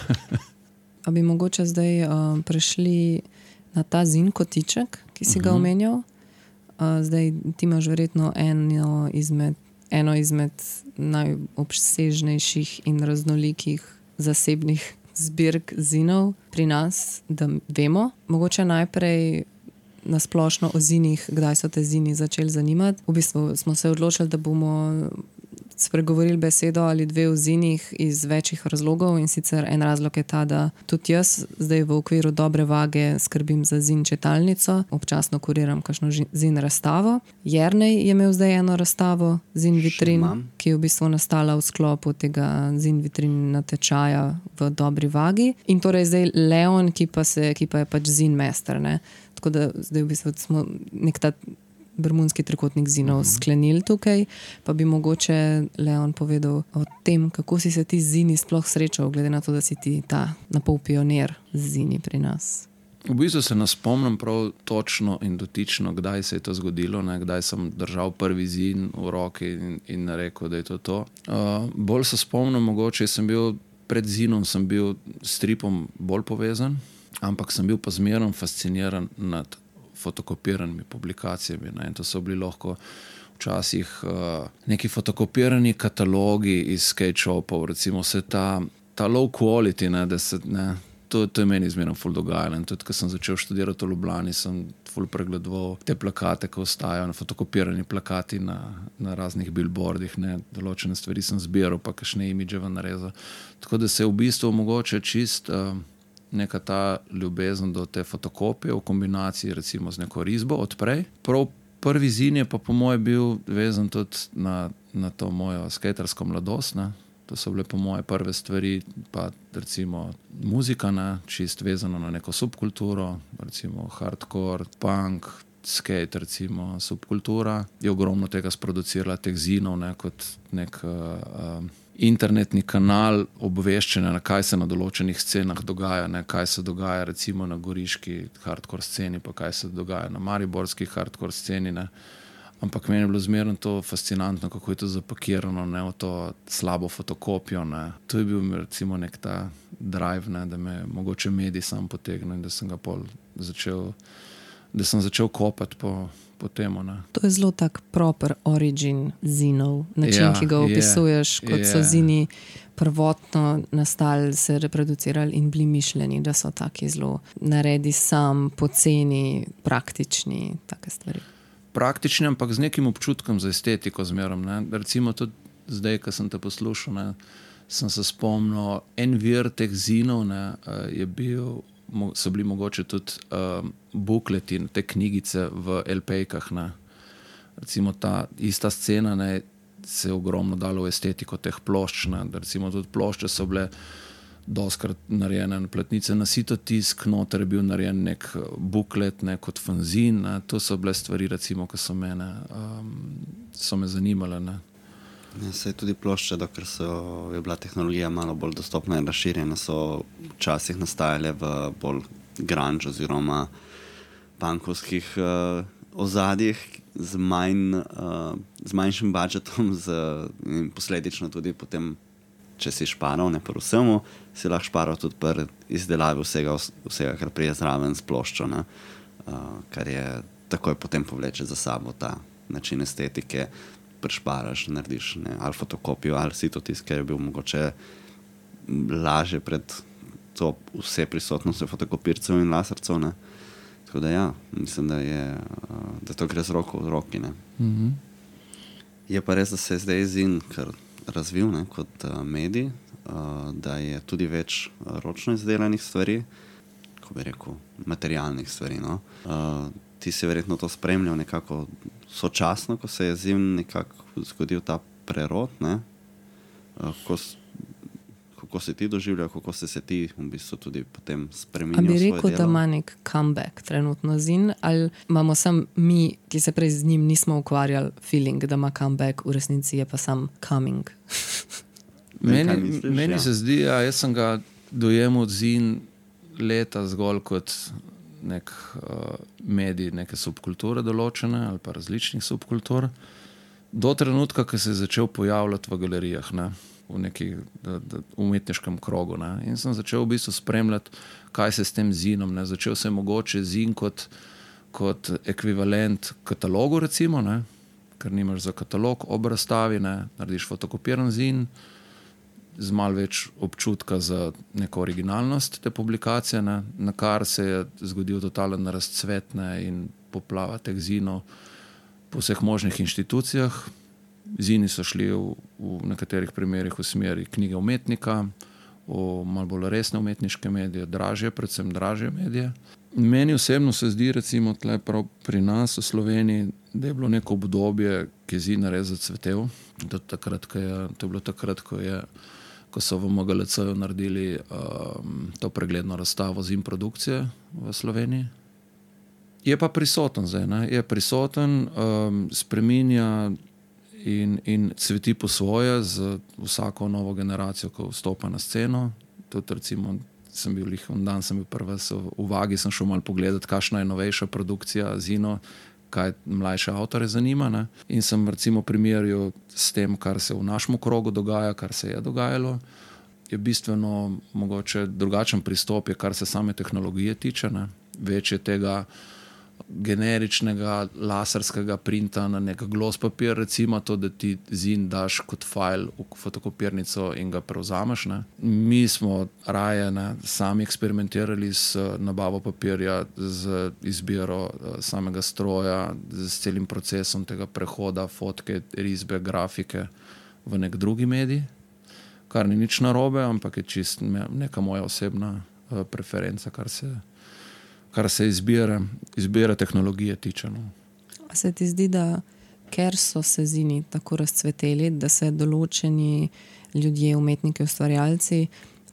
Speaker 1: A
Speaker 2: bi mogoče zdaj uh, prešli na ta Zin kotiček, ki si ga
Speaker 1: uh-huh.
Speaker 2: omenjal? Uh, zdaj ti imaš verjetno eno izmed, eno izmed najobsežnejših in raznolikih zasebnih zbirk zinov pri nas, da vemo. Mogoče najprej na splošno o zinih, kdaj so te zini začeli zanimati. V bistvu smo se odločili, da bomo spregovorili besedo ali dve o zinih iz večjih razlogov, in sicer en razlog je ta, da tudi jaz zdaj v okviru Dobre vage skrbim za zin čitalnico, občasno kuriram kakšno zin razstavo. Jernej je imel zdaj eno razstavo Zin vitrin, ki je v bistvu nastala v sklopu tega Zin vitrin natečaja v Dobri vagi, in torej zdaj Leon, ki pa, se, ki pa je pač zin mester, ne. Tako da zdaj v bistvu smo nek ta bermudski trikotnik zinov mm-hmm. sklenili tukaj, pa bi mogoče Leon povedal o tem, kako si se ti z zini sploh srečal, glede na to, da si ti ta napol pionir z zini pri nas.
Speaker 1: V bistvu se ne spomnim prav točno in dotično, kdaj se je to zgodilo, ne, kdaj sem držal prvi zin v roki in, in rekel, da je to to. Uh, bolj se spomnim, mogoče sem bil pred zinom, sem bil s stripom bolj povezan, ampak sem bil pa zmerno fasciniran nad fotokopiranimi publikacijami. Ne? In to so bili lahko včasih uh, neki fotokopirani katalogi iz skate shopov, recimo se ta, ta low quality, ne, da se, ne, to, to je meni zmerno ful dogajalo. In tudi, ko sem začel študirati v Ljubljani, sem ful pregledoval te plakate, ko ostajajo, fotokopirani plakati na, na raznih billboardih, ne, določene stvari sem zbiral, pa kakšne imidževe narezal. Tako da se je v bistvu mogoče čist uh, neka ta ljubezen do te fotokopije v kombinaciji recimo z neko risbo odprej. Prav prvi zin je pa po moje bil vezan tudi na, na to mojo skatersko mladost, ne. To so bile po moje prve stvari, pa recimo muzika, ne, čist vezano na neko subkulturo, recimo hardcore, punk, skate, recimo subkultura. Je ogromno tega sproducirala, teh zinov, ne, kot nek uh, uh, internetni kanal obveščanja, na kaj se na določenih scenah dogaja, ne, kaj se dogaja recimo na goriški hardcore sceni, pa kaj se dogaja na mariborski hardcore sceni, ne. Ampak meni je bilo zmerno to fascinantno, kako je to zapakirano, ne, v to slabo fotokopijo, ne. To je bil recimo nek ta drive, ne, da me mogoče medij sam potegnil in da sem ga pol začel, da sem začel kopati po po temu, ne.
Speaker 2: To je zelo tak proper origin zinov, način,
Speaker 1: ja,
Speaker 2: ki ga opisuješ, je, kot je. So zini prvotno nastali, se reproducirali in bili mišljeni, da so taki zelo naredi sam, poceni, praktični, take stvari.
Speaker 1: Praktični, ampak z nekim občutkom za estetiko zmerom, ne. Recimo tudi zdaj, ko sem te poslušal, ne, sem se spomnil, en vir teh zinov, ne, je bil, so bili mogoče tudi um, bukleti, te knjigice v el pejkah, ne. Recimo ta ista scena, ne, se je ogromno dalo v estetiko teh plošč, ne. Recimo tudi plošče so bile doskrat narejene na platnice, na sitotisk, noter je bil narejen nek buklet, ne, kot fanzin, ne. To so bile stvari, recimo, ko so mene, um, so me zanimale, ne.
Speaker 3: Ja, se je tudi plošče, dokler so, je bila tehnologija malo bolj dostopna in razširjena, so včasih nastajale v bolj grunge oziroma punkovskih uh, ozadjih z, manj, uh, z manjšim budžetom, z, in posledično tudi potem, če si šparal, ne pri vsemu, si lahko šparal tudi pri izdelavi vsega, vsega, kar prije zraven s ploščo, ne? Uh, kar je takoj potem povleče za sabo ta način estetike, prešparaš, narediš, ne, ali fotokopijo, ali sitotisk, ker je bil mogoče lažje pred to vse prisotnostjo fotokopircev in lasercev, ne. Tako da ja, mislim, da je, da to gre z roko v roki, ne.
Speaker 1: Mm-hmm.
Speaker 3: Je pa res, da se je zdaj zin kar razvil, ne, kot uh, medij, uh, da je tudi več ročno izdelanih stvari, ko bi rekel, materialnih stvari, no. Uh, ti si verjetno to spremljal nekako sočasno, ko se je zim nekako zgodil ta prerod, ne? Kako, kako si ti doživljal, kako si se ti v bistvu tudi potem spremenil svoje delo?
Speaker 2: A bi rekel, da ima nek comeback trenutno zin, ali imamo sam mi, ki se prej z njim nismo ukvarjali, feeling, da ima comeback, v resnici je pa sam coming?
Speaker 1: Meni,
Speaker 3: misliš,
Speaker 1: meni
Speaker 3: ja.
Speaker 1: se zdi, ja, jaz sem ga dojemal zin leta zgolj kot nek uh, medij, neke subkulture določene ali pa različnih subkultur, do trenutka, ko se je začel pojavljati v galerijah, ne, v nekih da, da, umetniškem krogu. Ne. In sem začel v bistvu spremljati, kaj se s tem zinom. Ne. Začel se je mogoče zin kot, kot ekvivalent katalogu, recimo, ne, ker nimaš za katalog ob razstavi, ne, narediš fotokopiran zin, z malo več občutka za neko originalnost te publikacije, ne, na kar se je zgodil totalen razcvet, ne, in poplava teh zinov po vseh možnih inštitucijah. Zini so šli v, v nekaterih primerih v smeri knjige umetnika, v malo bolj resne umetniške medije, dražje, predvsem dražje medije. Meni osebno se zdi, recimo tle prav pri nas v Sloveniji, da je bilo neko obdobje, ki je zin res zacvetel. To, takrat, ko je, to je bilo takrat, ko je ko so v M G L C-ju naredili um, to pregledno razstavo zim produkcije v Sloveniji. Je pa prisoten zdaj, ne? Je prisoten, um, spreminja in, in cveti po svoje z vsako novo generacijo, ko vstopa na sceno. Tudi recimo, sem bil lih, on dan sem bil prvi v Vagi, sem šel malo pogledati, kakšna je novejša produkcija zino, kaj mlajše avtore zanima, ne? In sem recimo primerjal s tem, kar se v našem krogu dogaja, kar se je dogajalo. Je bistveno mogoče drugačen pristop, je, kar se same tehnologije tiče, ne? Več je tega generičnega laserskega printa na nek gloss papir, recimo to, da ti zin daš kot fajl v fotokopirnico in ga prevzameš, ne. Mi smo raje, ne, sami eksperimentirali s nabavo papirja, z izbiro samega stroja, z celim procesom tega prehoda fotke, risbe, grafike v nek drugi medij, kar ni nič narobe, ampak je čist neka moja osebna preferenca, kar se kar se izbire, izbire tehnologije tiče. No.
Speaker 2: A se ti zdi, da ker so se zini tako razcveteli, da se določeni ljudje, umetniki, ustvarjalci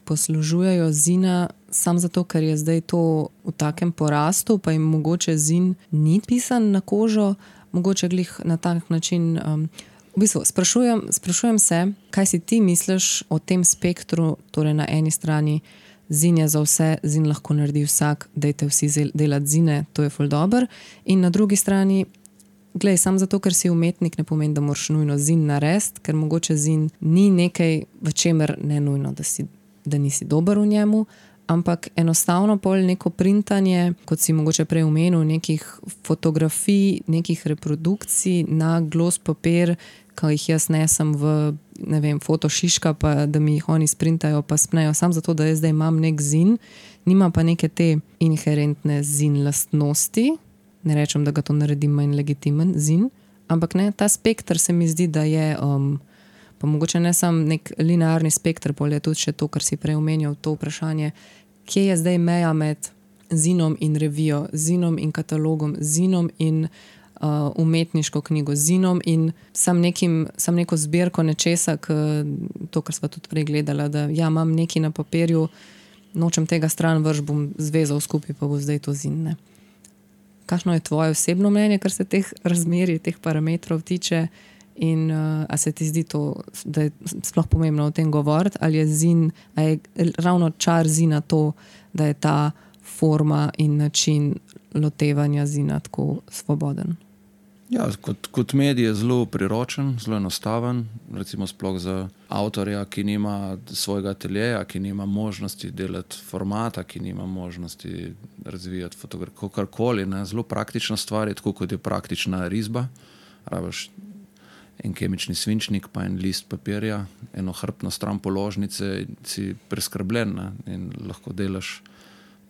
Speaker 2: poslužujejo zina sam zato, ker je zdaj to v takem porastu, pa jim mogoče zin ni pisan na kožo, mogoče glih na tak način. Um, v bistvu, sprašujem, sprašujem se, kaj si ti misliš o tem spektru, torej na eni strani zin je za vse, zin lahko naredi vsak, dajte vsi delati zine, to je ful dober. In na drugi strani, glej, sam zato, ker si umetnik, ne pomeni, da moraš nujno zin narediti, ker mogoče zin ni nekaj, v čemer ne nujno, da, si, da nisi dober v njemu, ampak enostavno pol neko printanje, kot si mogoče prej omenil, nekih fotografij, nekih reprodukcij na gloss papir, ko jih jaz nesem v, ne vem, fotošiška, pa da mi jih oni sprintajo, pa spnejo, sam zato, da jaz zdaj imam nek zin, nima pa neke te inherentne zin lastnosti, ne rečem, da ga to naredim manj legitimen zin, ampak ne, ta spektr se mi zdi, da je, um, pa mogoče ne sam nek linearni spektr, pol je tudi še to, kar si prej omenjal, to vprašanje, kje je zdaj meja med zinom in revijo, zinom in katalogom, zinom in Uh, umetniško knjigo, zinom in sam, nekim, sam neko zbirko nečesa, k, to, kar sva tudi prej gledala, da ja, imam nekaj na papirju, nočem tega stran vrš, bom zvezal skupaj, pa bo zdaj to zin. Ne. Kakšno je tvoje osebno mnenje, kar se teh razmerij, teh parametrov tiče in uh, a se ti zdi to, da je sploh pomembno o tem govoriti, ali je zin, a je ravno čar zina to, da je ta forma in način lotevanja zina tako svoboden?
Speaker 1: Ja, kot, kot medij je zelo priročen, zelo enostaven, recimo sploh za avtorja, ki nima svojega ateljeja, ki nima možnosti delati formata, ki nima možnosti razvijati fotografijo, karkoli, ne, zelo praktična stvar je, tako kot je praktična risba, rabiš en kemični svinčnik, pa en list papirja, eno hrbtno stran položnice, si preskrbljen, ne, in lahko delaš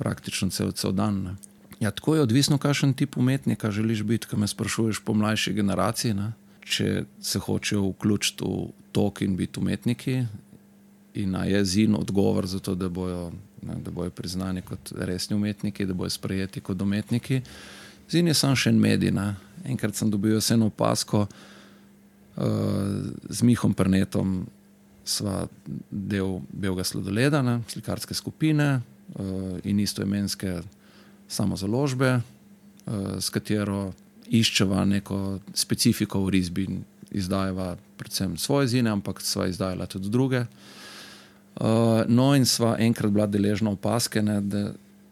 Speaker 1: praktično cel, cel dan, ne. Ja, tako je odvisno, kakšen tip umetnika želiš biti, ko me sprašuješ po mlajši generaciji, ne? Če se hočejo vključiti v tok in biti umetniki in a je zin odgovor za to, da bojo, ne, da bojo priznani kot resni umetniki, da bojo sprejeti kot umetniki, Zin je samo še en medij. Ne. Enkrat sem dobil eno opasko uh, z Mihom Prnetom, sva del Belega sladoleda, ne, slikarske skupine uh, in istoimenske samozaložbe, uh, s katero iščeva neko specifiko v risbi, izdajava predvsem svoje zine, ampak sva izdajala tudi druge. Uh, no in sva enkrat bila deležna opaske, ne, da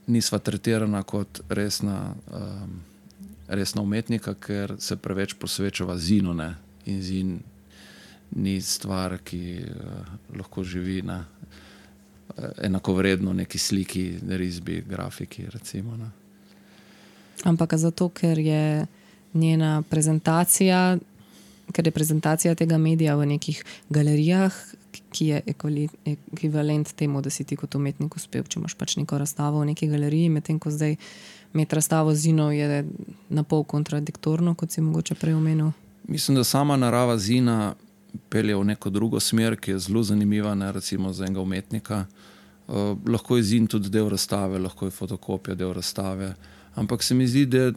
Speaker 1: nisva tretirana kot resna, um, resna umetnika, ker se preveč posvečava zinu, ne, in zin ni stvar, ki uh, lahko živi na uh, enakovredno neki sliki, risbi, grafiki, recimo. Ne.
Speaker 2: Ampak zato, ker je njena prezentacija, ker je prezentacija tega medija v nekih galerijah, ki je ekvivalent temu, da si ti kot umetnik uspel, če imaš pač neko razstavo v neki galeriji, medtem ko zdaj imeti razstavo zinov je na pol kontradiktorno, kot si mogoče prej omenil.
Speaker 1: Mislim, da sama narava zina pelje v neko drugo smer, ki je zelo zanimiva, ne, recimo za enega umetnika. Uh, lahko je zin tudi del razstave, lahko je fotokopija del razstave, ampak se mi zdi, da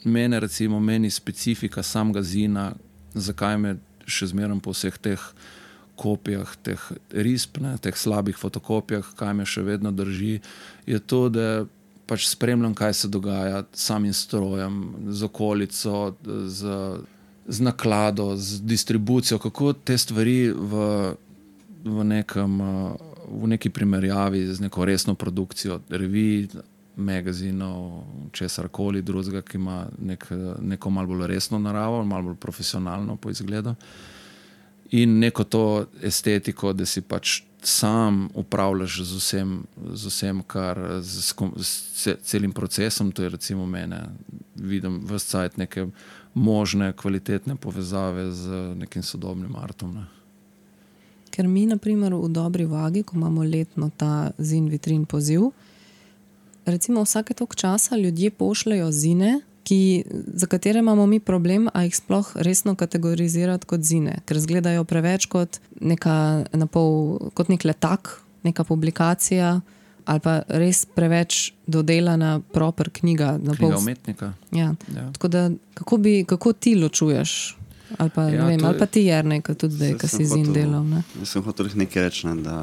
Speaker 1: mene, recimo, meni specifika samega zina, zakaj me še zmeraj po vseh teh kopijah, teh risb, ne, teh slabih fotokopijah, kaj me še vedno drži, je to, da pač spremljam, kaj se dogaja s samim strojem, z okolico, z, z naklado, z distribucijo, kako te stvari v, v, nekem, v neki primerjavi z neko resno produkcijo revij, magazinov, česarkoli drugega, ki ima nek, neko malo bolj resno naravo, malo bolj profesionalno po izgledu. In neko to estetiko, da si pač sam upravljaš z vsem, z vsem kar z, z celim procesom, to je recimo mene, vidim ves cajt neke možne, kvalitetne povezave z nekim sodobnim artom. Ne.
Speaker 2: Ker mi, na primer, v Dobri vagi, ko imamo letno ta zin vitrin poziv, recimo vsake toliko časa ljudje pošljajo zine, ki, za katere imamo mi problem, a jih sploh resno kategorizirati kot zine, ker izgledajo preveč kot neka napol, kot nek letak, neka publikacija ali pa res preveč dodelana proper knjiga. Napol,
Speaker 1: knjiga umetnika.
Speaker 2: Ja.
Speaker 1: Ja.
Speaker 2: Tako da, kako, bi, kako ti ločuješ? Ali pa,
Speaker 1: ja,
Speaker 2: ne vem,
Speaker 1: je,
Speaker 2: ali pa ti Jernej, tudi zdaj, ki si zin delal. Ne?
Speaker 3: Jaz sem hotel nekaj reči, ne, da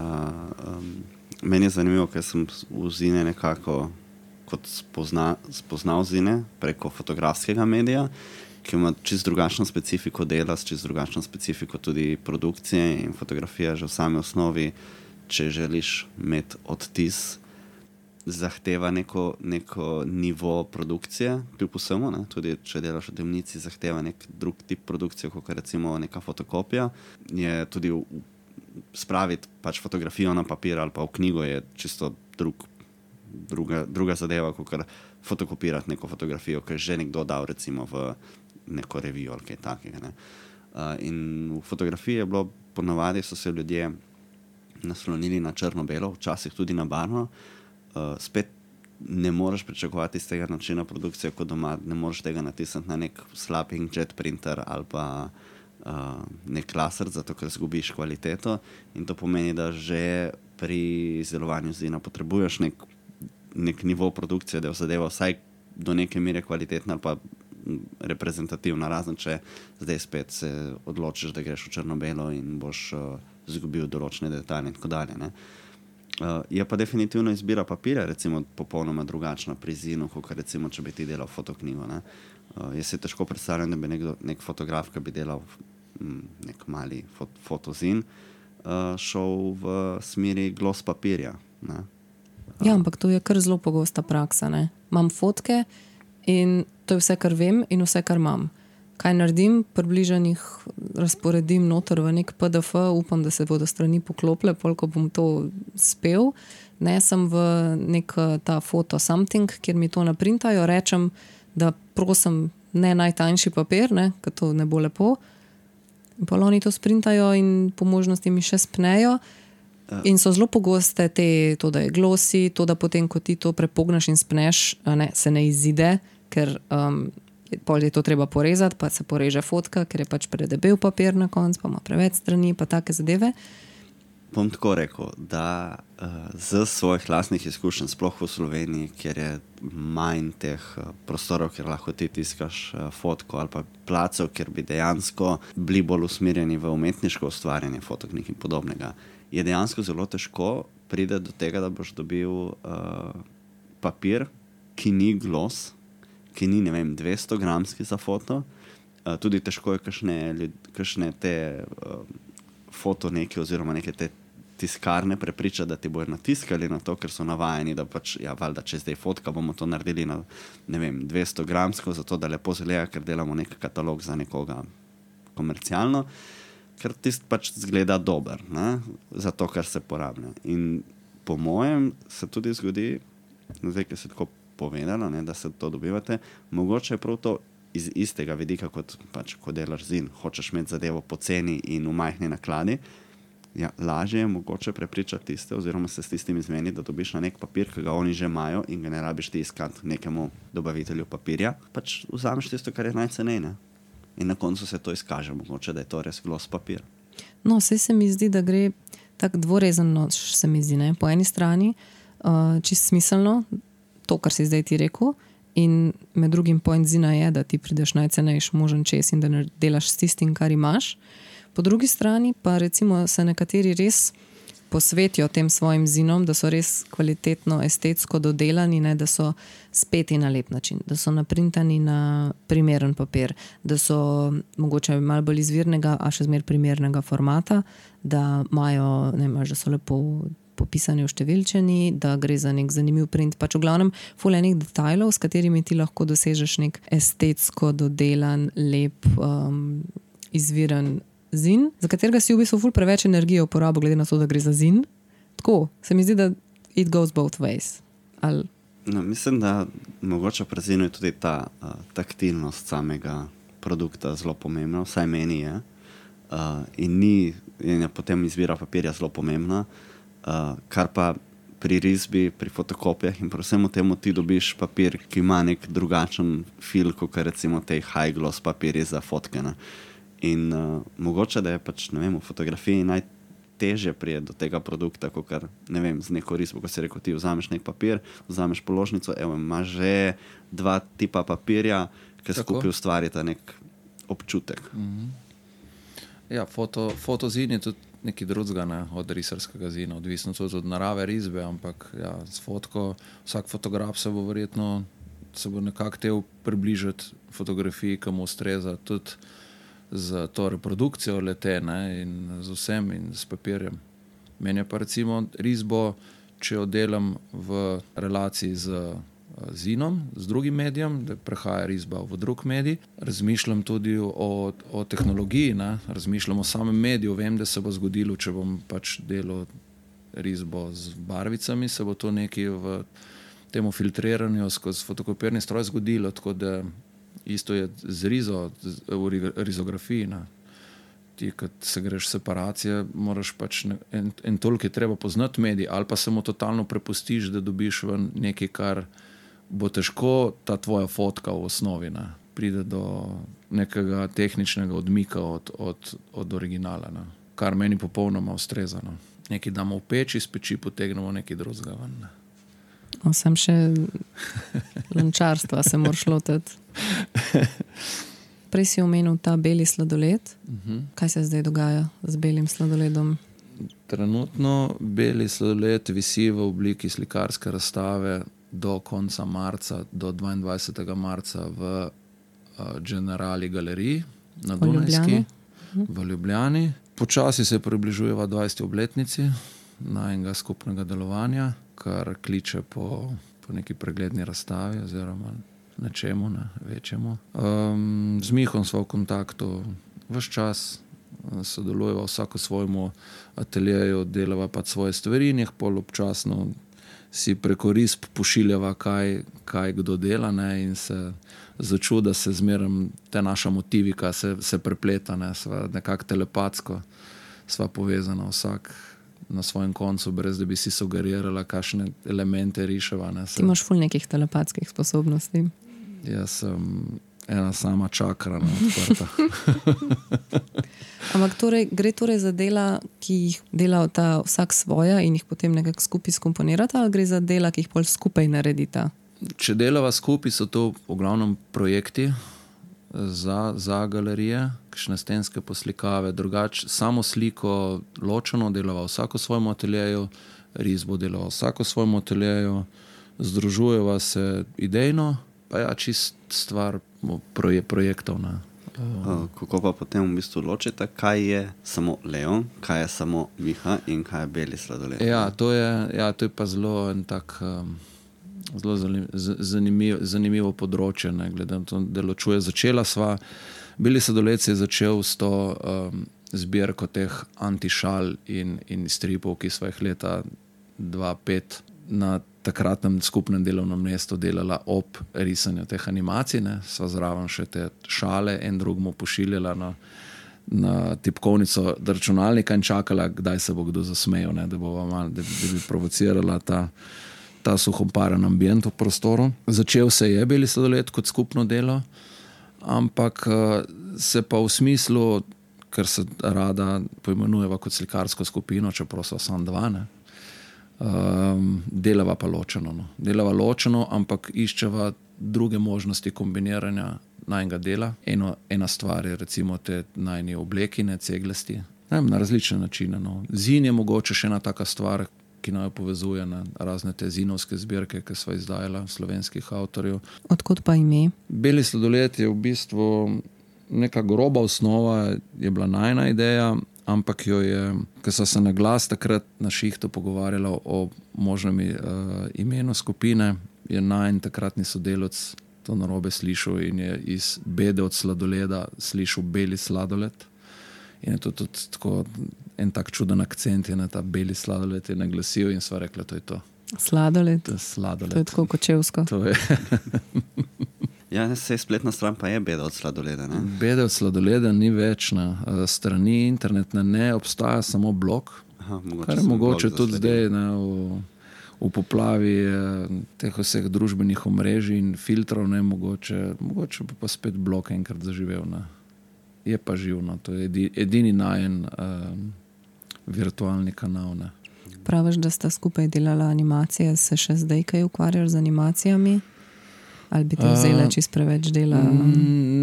Speaker 3: um, meni je zanimivo, ker sem v zine nekako kot spozna, spoznal zine preko fotografskega medija, ki ima čist drugačno specifiko dela, čist drugačno specifiko tudi produkcije in fotografija že v sami osnovi, če želiš imeti odtis, zahteva neko, neko nivo produkcije, kljub vsemu, ne? Tudi če delaš v temnici, zahteva nek drug tip produkcije, kot recimo neka fotokopija. Je tudi v, spraviti pač fotografijo na papir ali pa v knjigo je čisto drug Druga, druga zadeva, kot fotokopirati neko fotografijo, ki je že nekdo dal recimo v neko revijo ali kaj takega. Ne. Uh, in v fotografiji je bilo, ponavadi so se ljudje naslonili na črno-belo, včasih tudi na barvno. Uh, spet ne moreš pričakovati iz tega načina produkcije kot doma, ne moreš tega natisniti na nek slab inkjet printer ali pa uh, nek laser, zato ker zgubiš kvaliteto in to pomeni, da že pri izdelovanju zina potrebuješ nek nek nivo produkcije, da je zadeva vsaj do neke mere kvalitetna ali pa reprezentativna, razen če zdaj spet se odločiš, da greš v črno-belo in boš uh, zgubil določene detalje in tako dalje. Ne. Uh, je pa definitivno izbira papirja, recimo popolnoma drugačna pri zinu, kot recimo, če bi ti delal fotoknjigo. Ne. Uh, jaz se težko predstavljam, da bi nekdo, nek fotograf, ki bi delal m, nek mali fot, fotozin, uh, šel v smeri gloss papirja. Ne.
Speaker 2: Ja, ampak to je kar zelo pogosta praksa. Ne? Imam fotke in to je vse, kar vem in vse, kar imam. Kaj naredim? Približno jih razporedim noter v nek P D F, upam, da se bodo strani poklopile, koliko bom to spel. Nesem v nek ta foto something, kjer mi to naprintajo, rečem, da prosim ne najtanjši papir, ne, ker to ne bo lepo. In pa oni to sprintajo in po možnosti mi še spnejo. In so zelo pogoste te, to, da je glosi, to, da potem, ko ti to prepogneš in spneš, ne, se ne izide, ker um, pol je to treba porezati, pa se poreže fotka, ker je pač predebel papir na konc, pa ima preveč strani, pa take zadeve.
Speaker 3: bom tako rekel, da uh, z svojih lastnih izkušenj, sploh v Sloveniji, kjer je manj teh uh, prostorov, kjer lahko ti tiskaš uh, fotko ali pa placev, kjer bi dejansko bili bolj usmerjeni v umetniško ustvarjanje fotoknjig in podobnega, je dejansko zelo težko pride do tega, da boš dobil uh, papir, ki ni gloss, ki ni, ne vem, dvesto gramski za foto. Uh, tudi težko je kakšne, kakšne te uh, foto neke oziroma neke te tiskarne prepričati, da ti bojo natiskali na to, ker so navajeni, da pač, ja, valjda, če zdaj fotka, bomo to naredili na, ne vem, dvesto gramsko, zato da lepo zgleda, ker delamo nek katalog za nekoga komercialno, ker tist pač zgleda dober, ne, za to, kar se porablja. In po mojem se tudi zgodi, zdaj, ki se tako povedalo, ne, da se to dobivate, mogoče je prav to iz istega vidika, kot pač, ko delaš zin, hočeš imeti zadevo poceni in v majhni nakladi, ja, lažje je mogoče prepričati tiste, oziroma se s tistim izmeni, da dobiš na nek papir, ki ga oni že imajo in ga ne rabiš ti iskati nekemu dobavitelju papirja, pač vzameš tisto, kar je najcenej, ne? In na koncu se to izkaže, mogoče, da je to res gloss papir.
Speaker 2: No, vse se mi zdi, da gre tak dvorezen noč, se mi zdi, ne? Po eni strani uh, čist smiselno, to, kar si zdaj ti rekel, in med drugim point zina je, da ti prideš najcenejš možen čez in da delaš s tistim, kar imaš. Po drugi strani pa recimo se nekateri res posvetijo tem svojim zinom, da so res kvalitetno, estetsko dodelani, ne, da so speti na lep način, da so naprintani na primeren papir, da so mogoče malo bolj izvirnega, a še zmer primernega formata, da imajo, ne vem, da so lepo popisani v številčeni, da gre za nek zanimiv print, pač v glavnem ful enih detajlov, s katerimi ti lahko dosežeš nek estetsko dodelan, lep, um, izviren zin, za katerega si v bistvu ful preveč energije uporabil, glede na to, da gre za zin. Tako, se mi zdi, da it goes both ways. Ali...
Speaker 3: No, mislim, da mogoče pri zinu je tudi ta uh, taktilnost samega produkta zelo pomembna, vsaj meni je. Uh, in ni, in je potem izbira papirja zelo pomembna, uh, kar pa pri risbi, pri fotokopijah in pri vsemu temu ti dobiš papir, ki ima nek drugačen feel, kot recimo te high gloss papirji za fotkene. In uh, mogoče, da je pač, ne vem, v fotografiji najtežje prije do tega produkta, kot kar, ne vem, z neko risbo, ko si rekel, ti vzameš nek papir, vzameš položnico, evo, imaš že dva tipa papirja, ki skupaj ustvarita nek občutek.
Speaker 1: Mm-hmm. Ja, foto, fotozin je tudi nekaj drugega, ne, od risarskega zina, odvisno tudi od narave risbe, ampak ja, s fotko, vsak fotograf se bo verjetno, se bo nekako tel približati fotografiji, ki mu ustreza tudi z to reprodukcijo lete, ne, in z vsem in s papirjem. Meni je pa recimo risbo, če jo delam v relaciji z zinom, z drugim medijem, da prehaja risba v drug medij, razmišljam tudi o, o tehnologiji, ne, razmišljam o samem mediju, vem, da se bo zgodilo, če bom pač delal risbo z barvicami, se bo to nekaj v temu filtriranju skozi fotokopirni stroj zgodilo, tako da isto je z rizo, v rizografiji. Ne. Ti, kad se greš separacije, moraš pač ne, en, en toliko je treba poznati medij, ali pa se mu totalno prepustiš, da dobiš ven nekaj, kar bo težko ta tvoja fotka v osnovi, ne. Pride do nekega tehničnega odmika od, od, od originala, ne. Kar meni popolnoma ustreza. Ne. Nekaj damo v peči, iz peči potegnemo nekaj drugega ven. Ne.
Speaker 2: O, sem še lančarstva se moraš lotiti. Prej si omenil ta beli sladoled. Uh-huh. Kaj se zdaj dogaja z belim sladoledom?
Speaker 1: Trenutno beli sladoled visi v obliki slikarske razstave do konca marca, do dvaindvajsetega marca v uh, Generali galeriji na Dunajski uh-huh. v Ljubljani. Počasi se približujeva dvajseti obletnici najnega skupnega delovanja, kar kliče po, po neki pregledni razstavi oziroma nečemu, ne, večjemu. Um, z Mihom smo v kontaktu ves čas, sodelujeva vsako svojemu ateljeju, delava pa svoje stvari in jih pol občasno si preko risb pošiljava, kaj, kaj kdo dela, ne, in se začuda se zmeram te naša motivika se, se prepleta, ne, sva nekako telepatsko, sva povezana vsak na svojem koncu, brez da bi si sugerirala, kakšne elemente riševa. Ne, se...
Speaker 2: Ti imaš ful nekih telepatskih sposobnosti.
Speaker 1: Jaz sem ena sama čakra na odprta.
Speaker 2: Ampak torej, gre torej za dela, ki jih dela ta vsak svoja in jih potem nekako skupaj skomponirata, ali gre za dela, ki jih pol skupaj naredita?
Speaker 1: Če delava skupaj, so to v glavnem projekti za, za galerije, kakšne stenske poslikave, drugače samo sliko ločeno delava vsako svojemu ateljeju, risbo delava vsako svojemu ateljeju, združujeva se idejno, pa ja, čist stvar proje, projektov. Ne.
Speaker 3: Uh, kako pa potem v bistvu ločite, kaj je samo Leon, kaj je samo Miha in kaj je Beli sladoled?
Speaker 1: Ja, to je, ja, to je pa zelo en tak um, zelo zanimiv, zanimivo področje, ne, glede na to, da ločuje. Začela sva, Beli sladoled se je začel s to um, zbirko teh antišal in, in stripov, ki sva jih leta dva pet na takratnem skupnem delovnem mestu delala ob risanju teh animacij, ne. Sva zraven še te šale en drugmu pošiljala na, na tipkovnico računalnika in čakala, kdaj se bo kdo zasmejal, ne, da, bova mal, da, da bi provocirala ta, ta suhomparen ambient v prostoru. Začel se je Beli sladoled kot skupno delo, ampak se pa v smislu, ker se rada poimenujeva kot slikarsko skupino, čeprav so samo dva, ne, Um, delava pa ločeno. No. Delava ločeno, ampak iščeva druge možnosti kombiniranja najnega dela. Eno, ena stvar je recimo te najni oblekine, ceglasti, ne, na različne načine. No. Zin je mogoče še ena taka stvar, ki naj povezuje na razne te zinovske zbirke, ki sva izdajala slovenskih avtorjev.
Speaker 2: Odkot pa ime?
Speaker 1: Beli sladoled je v bistvu neka groba osnova, je bila najna ideja, ampak jo je, ko so se na glas takrat na šihtu pogovarjala o možnem uh, imenu skupine, je najn takratni sodelavec to narobe slišal in je iz Bede od sladoleda slišal Beli sladoled. In je to tudi tako en tak čuden akcent je na ta Beli sladoled je naglasil in sva rekla, to je to.
Speaker 2: Sladoled?
Speaker 1: To je sladoled.
Speaker 2: To je tako kočevsko.
Speaker 1: To je.
Speaker 3: Ja, sej spletna stran pa je Beda od sladoleda, ne?
Speaker 1: Beda od sladoleda ni več na strani internetne, ne obstaja samo blog.
Speaker 3: Aha, mogoče
Speaker 1: kar je mogoče tudi
Speaker 3: zasledil.
Speaker 1: zdaj, ne, v, v poplavi teh vseh družbenih omrežij in filtrov, ne, mogoče, mogoče pa spet blog enkrat zaživel, ne. Je pa živno, to je edi, edini najen um, virtualni kanal, ne.
Speaker 2: Praviš, da sta skupaj delala animacije, se še zdaj kaj ukvarjaš z animacijami? Ali bi to vzela čist preveč dela?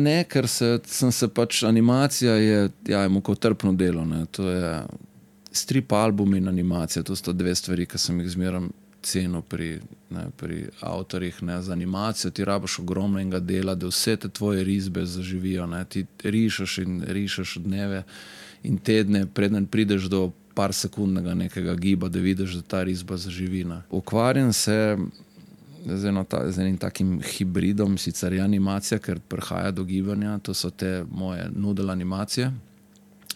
Speaker 1: Ne, ker se, sem se pač, animacija je, ja, je mukotrpno delo, ne. To je strip album in animacija, to sta dve stvari, ki sem jih zmeram cenil pri, ne, pri avtorjih, ne. Za animacijo ti rabiš ogromno enega dela, da vse te tvoje risbe zaživijo, ne. Ti rišeš in rišeš dneve in tedne, preden prideš do par sekundnega nekega giba, da vidiš, da ta risba zaživi, ne. Ukvarjam se z, eno ta, z enim takim hibridom, sicer je animacija, ker prihaja do gibanja, to so te moje noodle animacije,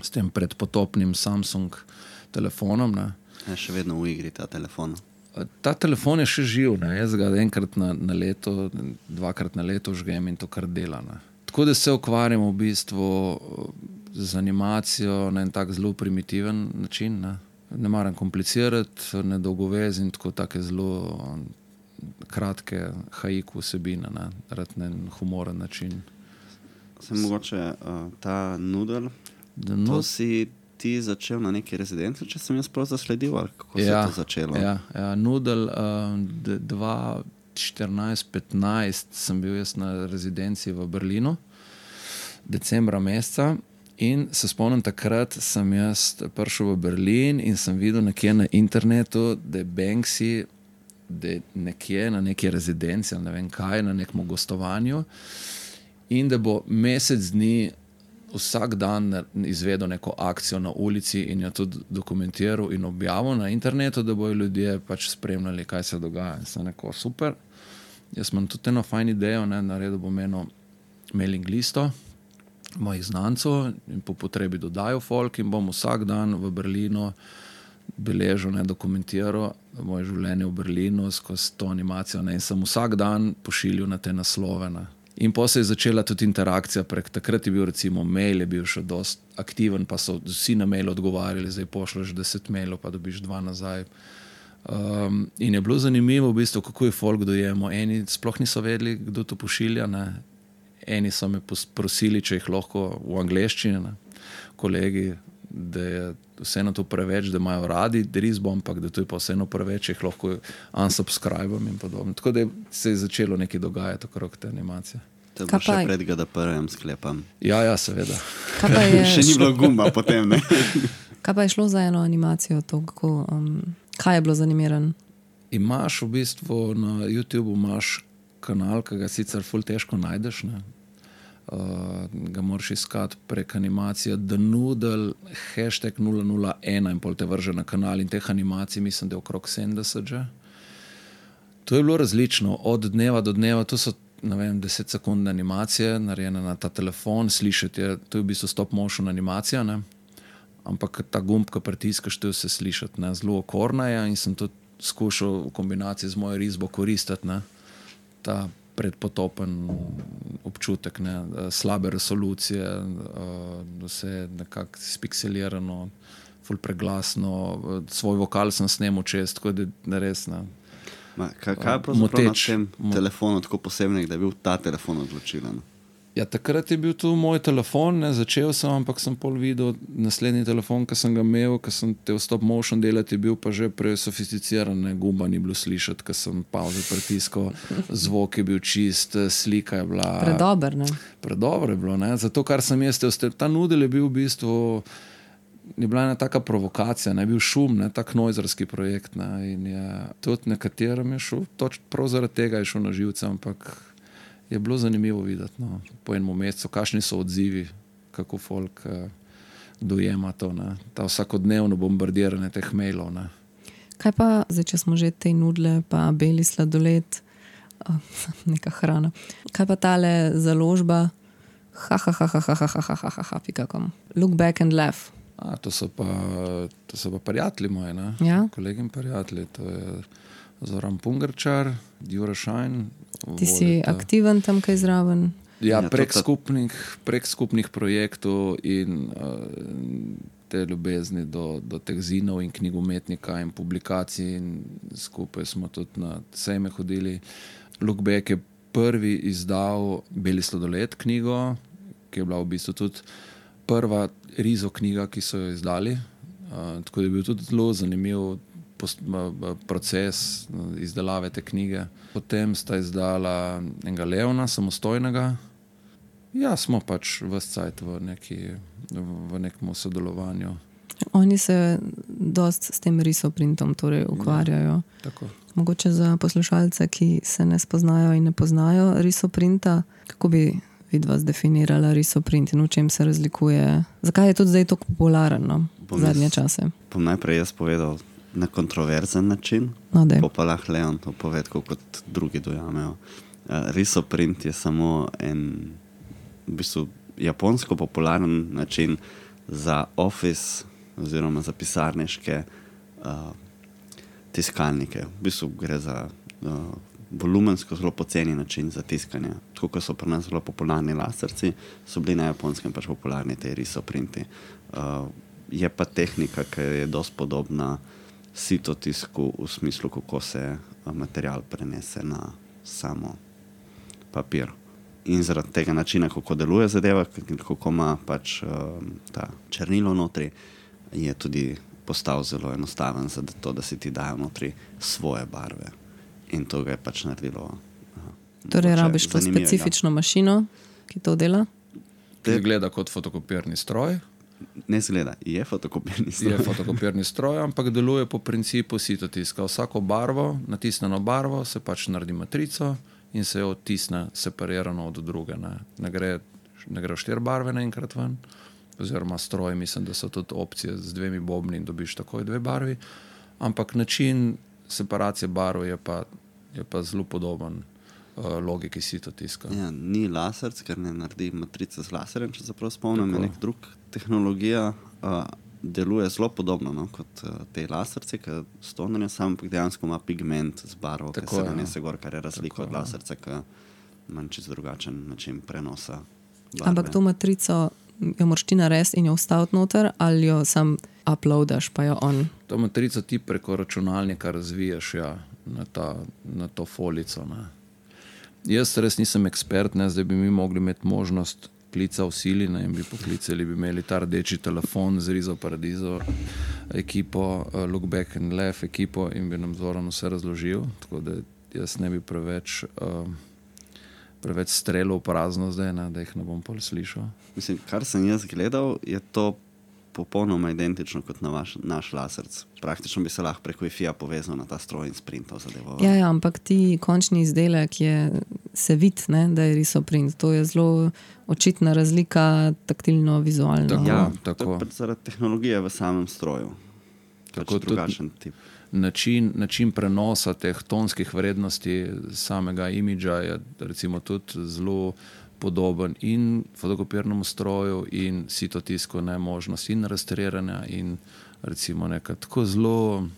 Speaker 1: s tem predpotopnim Samsung telefonom, ne.
Speaker 3: Je še vedno v igri ta telefon.
Speaker 1: Ta telefon je še živ, ne. Jaz ga enkrat na, na leto, dvakrat na leto žgem in to kar dela, ne. Tako da se ukvarjam v bistvu z animacijo na en tak zelo primitiven način, ne. Ne maram komplicirati, ne dolgovez in tako take zelo kratke haiku vsebine, ne, rad na en humoren način.
Speaker 3: Se mogoče uh, ta noodle,
Speaker 1: Da,
Speaker 3: to
Speaker 1: no,
Speaker 3: si ti začel na neki rezidenci, če sem jaz prav zasledil, ali kako se
Speaker 1: ja,
Speaker 3: je to začelo?
Speaker 1: Ja, ja, noodle uh, dva štirinajst petnajst sem bil jaz na rezidenci v Berlinu, decembra meseca, in se spomnim, takrat sem jaz prišel v Berlin in sem videl nekje na internetu, da je Banksy da je nekje na neki rezidenci, ne vem kaj, na nekem gostovanju in da bo mesec dni vsak dan izvedel neko akcijo na ulici in jo tudi dokumentiral in objavil na internetu, da bojo ljudje pač spremljali, kaj se dogaja. In sem rekel, super, jaz imam tudi eno fajn idejo, ne, naredil bom eno mailing listo mojih znancov in po potrebi dodajo folk in bom vsak dan v Berlinu beležil, ne, dokumentiral moje življenje v Berlinu skozi to animacijo, ne, in sem vsak dan pošiljal na te naslove, ne. In potem se je začela tudi interakcija prek, takrat je bil recimo mail, je bil še dost aktiven, pa so vsi na mail odgovarjali, zdaj pošleš deset mailov, pa dobiš dva nazaj. Um, in je bilo zanimivo v bistvu, kako je folk dojemo. Eni sploh niso vedeli, kdo to pošilja, ne. eni so me prosili, če jih lahko v angleščini, ne, kolegi, da je vseeno to preveč, da imajo radi risbo, ampak da to je pa vseeno preveč, če jih lahko unsubscribam in podobno. Tako da se je začelo nekaj dogajati okrog te animacije.
Speaker 3: To bo še pred G D P R-jem sklepam.
Speaker 1: Ja, ja, seveda.
Speaker 2: Kaj pa je
Speaker 3: Še ni bilo gumba potem, ne?
Speaker 2: Kaj pa je šlo za eno animacijo? To, kako, um, kaj je bilo zanimiran?
Speaker 1: Imaš v bistvu na YouTubeu imaš kanal, ki ga sicer ful težko najdeš, ne? Uh, ga moraš iskati prek animacije The Noodle, hashtag nula nula ena in pol te vrže na kanal in teh animacij mislim, da je okrog sedemdeset že. To je bilo različno, od dneva do dneva, to so ne vem, deset sekundne animacije, narejene na ta telefon, slišati je, to je v bistvu stop motion animacija, ne? Ampak ta gumb, ko pritiskaš, to je vse slišati, ne? Zelo okorna je in sem tudi skušal v kombinaciji z mojo risbo koristiti, ne? Ta predpotopen občutek, ne? Slabe resolucije, vse nekako spikselirano, ful preglasno, svoj vokal sem snemal čez, tako da res, ne?
Speaker 3: Ma, kaj, kaj je pravzaprav na tem telefonu tako posebnega, da je bil ta telefon odločilen?
Speaker 1: Ja, takrat je bil tu moj telefon, ne, začel sem, ampak sem pol videl naslednji telefon, ki sem ga imel, ki sem te v stop motion delati, je bil pa že presofisticiran, ne, gumba ni bilo slišati, ker sem pauze pritiskal, zvok je bil čist, slika je bila...
Speaker 2: Predober, ne?
Speaker 1: Predober je bilo, ne, zato kar sem jaz, ta Noodle je bil v bistvu, je bila ena taka provokacija, ne, je bil šum, ne, tak nojzerski projekt, ne, in je tudi nekaterim je šel, toč prav zaradi tega je šel na živce, ampak je bilo zanimivo videti, no, po enem mesecu, kakšni so odzivi, kako folk uh, dojema to, ne, ta vsakodnevno bombardiranje teh mailov, ne.
Speaker 2: Kaj pa, zdaj, če smo že te nudle, pa beli sladoled, uh, neka hrana, kaj pa tale založba, ha, ha, ha, ha, ha, ha, ha, ha, ha, ha, ha, pika kom, look back and laugh.
Speaker 1: A, to so pa, to so pa prijatelji moji, ne,
Speaker 2: ja?
Speaker 1: Kolegi in prijatelji, to je Zoran Pungarčar, Jure Šajn.
Speaker 2: Ti si volita. Aktiven tam kaj zraven?
Speaker 1: Ja, prek skupnih, prek skupnih projektov in uh, te ljubezni do, do teh zinov in knjigometnika in publikacij in skupaj smo tudi na sejme hodili. Look Back je prvi izdal Beli sladoled knjigo, ki je bila v bistvu tudi prva rizo knjiga, ki so jo izdali. Uh, tako da je bil tudi zelo zanimiv proces izdelave te knjige. Potem sta izdala enega Leona, samostojnega. Ja, smo pač ves cajt v, neki, v nekem sodelovanju.
Speaker 2: Oni se dost s tem risoprintom torej ukvarjajo.
Speaker 1: Ja, tako.
Speaker 2: Mogoče za poslušalce, ki se ne spoznajo in ne poznajo risoprinta, kako bi vidva zdefinirala risoprint in v čem se razlikuje? Zakaj je tudi zdaj tako popularen, no, zadnje čase?
Speaker 3: Bom najprej jaz povedal na kontroverzen način,
Speaker 2: no,
Speaker 3: pa pa lahko Leon to poved, kot drugi dojamejo. Uh, risoprint je samo en v bistvu japonsko popularen način za office oziroma za pisarniške uh, tiskalnike. V bistvu gre za uh, volumensko zelo poceni način za tiskanje. Tako kot so pri nas zelo popularni laserci, so bili na Japonskem pač popularni te risoprinti. Uh, je pa tehnika, ki je dosti podobna sitotisku v smislu, kako se material prenese na samo papir. In zaradi tega načina, kako deluje zadeva, kako ima pač uh, ta črnilo notri, je tudi postal zelo enostaven za to, da si ti dajo notri svoje barve. In to ga je pač naredilo. Uh,
Speaker 2: torej rabiš to specifično mašino, ki to dela?
Speaker 1: Te gleda kot fotokopirni stroj.
Speaker 3: Ne zgleda, je fotokopirni stroj.
Speaker 1: Je fotokopirni stroj, ampak deluje po principu sitotiska. Vsako barvo, natisneno barvo, se pač naredi matrico in se jo odtisne separirano od druge. Ne, ne gre, ne gre štiri barve naenkrat ven, oziroma stroj, mislim, da so tudi opcije z dvemi bobni in dobiš takoj dve barvi, ampak način separacije barv je pa, je pa zelo podoben uh, logiki sitotiska.
Speaker 3: Ja, ni laserc, ker ne naredi matrice z laserjem, če se prav spomnim, je nek drug tehnologija, uh, deluje zelo podobno, no, kot uh, te laserce, ki stonanje sam dejansko ima pigment z barvo, ki se nanese gor, kar je razlika od laserca, ki ima čisto drugačen način prenosa barve.
Speaker 2: Ampak to matrico jo moraš ti narediti in jo vstaviti noter, ali jo sam uploadaš, pa jo on?
Speaker 1: To matrico ti preko računalnika razviješ, ja, na, ta, na to folico, ne. Jaz res nisem ekspert, ne, zdaj bi mi mogli imeti možnost klica v sili, ne, in bi poklicali, bi imeli ta rdeči telefon z Rizo Paradizo ekipo, uh, Look Back and Laugh ekipo in bi nam Zoran vse razložil, tako da jaz ne bi preveč, uh, preveč strelil v prazno zdaj, ne, da jih ne bom pol slišal.
Speaker 3: Mislim, kar sem jaz gledal, je to popolnoma identično kot na vaš, naš laserc. Praktično bi se lahko preko Wi-Fi-ja povezal na ta stroj in sprintal zadevo.
Speaker 2: Ja, ja, ampak ti končni izdelek je se vidi, ne, da je risoprint. To je zelo očitna razlika taktilno-vizualno.
Speaker 1: Tako,
Speaker 3: Ja,
Speaker 1: tako.
Speaker 3: to je pač zaradi tehnologije v samem stroju.
Speaker 1: Tako
Speaker 3: Pač drugačen tip.
Speaker 1: Način, način prenosa teh tonskih vrednosti samega imidža je recimo tudi zelo podoben in fotokopirnemu stroju in sitotisku, ne, možnost in rastriranja in recimo nekaj tako zelo.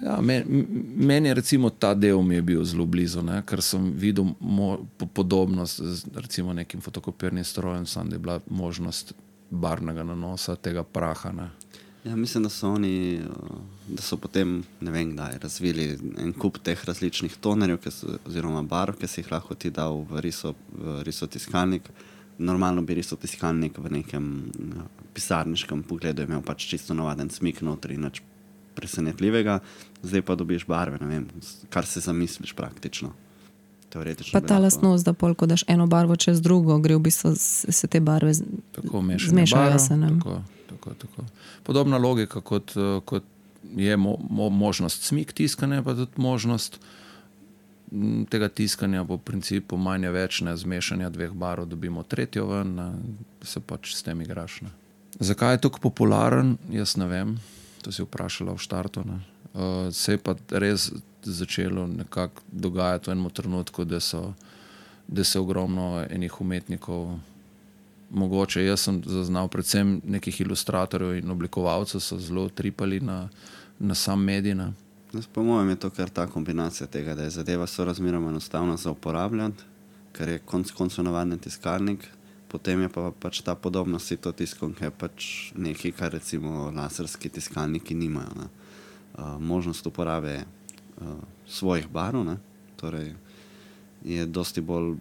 Speaker 1: Ja, meni, meni je recimo ta del mi je bil zelo blizu, ne, ker sem videl mo, po, podobnost z recimo nekim fotokopirnim strojem, sam da je bila možnost barvnega nanosa tega praha. Ne.
Speaker 3: Ja, mislim, da so oni, da so potem, ne vem kdaj, razvili en kup teh različnih tonerjev, ki so, oziroma barv, ki si jih lahko ti dal v, riso, v risotiskalnik. Normalno bi risotiskalnik v nekem pisarniškem pogledu imel pač čisto navaden smik notri, nič presenetljivega. Zdaj pa dobiš barve, ne vem, kar se zamisliš praktično. Teoretično.
Speaker 2: Pa ta lastnost, da pol, ko daš eno barvo čez drugo, gre v bistvu se te barve
Speaker 1: tako
Speaker 2: zmešajo
Speaker 1: barv,
Speaker 2: se. Ne?
Speaker 1: Tako, tako, tako. Podobna logika, kot, kot je mo, mo, možnost smik tiskanja, pa tudi možnost m, tega tiskanja po principu manje več, ne, zmešanja dveh barv, dobimo tretjo ven, ne, se pač s tem igraš. Ne. Zakaj je tako popularen, jaz ne vem, to si vprašala v štartu. Ne. Uh, se je pa res začelo nekako dogajati v enem trenutku, da so, da se ogromno enih umetnikov, mogoče jaz sem zaznal predvsem nekih ilustratorjev in oblikovalcev, so zelo tripali na, na sam medij. Ne.
Speaker 3: Po mojem je to kar ta kombinacija tega, da je zadeva sorazmeroma enostavna za uporabljati, ker je konc koncev navaden tiskalnik, potem je pa pač ta podobnost sitotiskom, ki je pač nekaj, kar recimo laserski tiskalniki nimajo. Ne. Uh, možnost uporabe uh, svojih barv, ne, torej je dosti bolj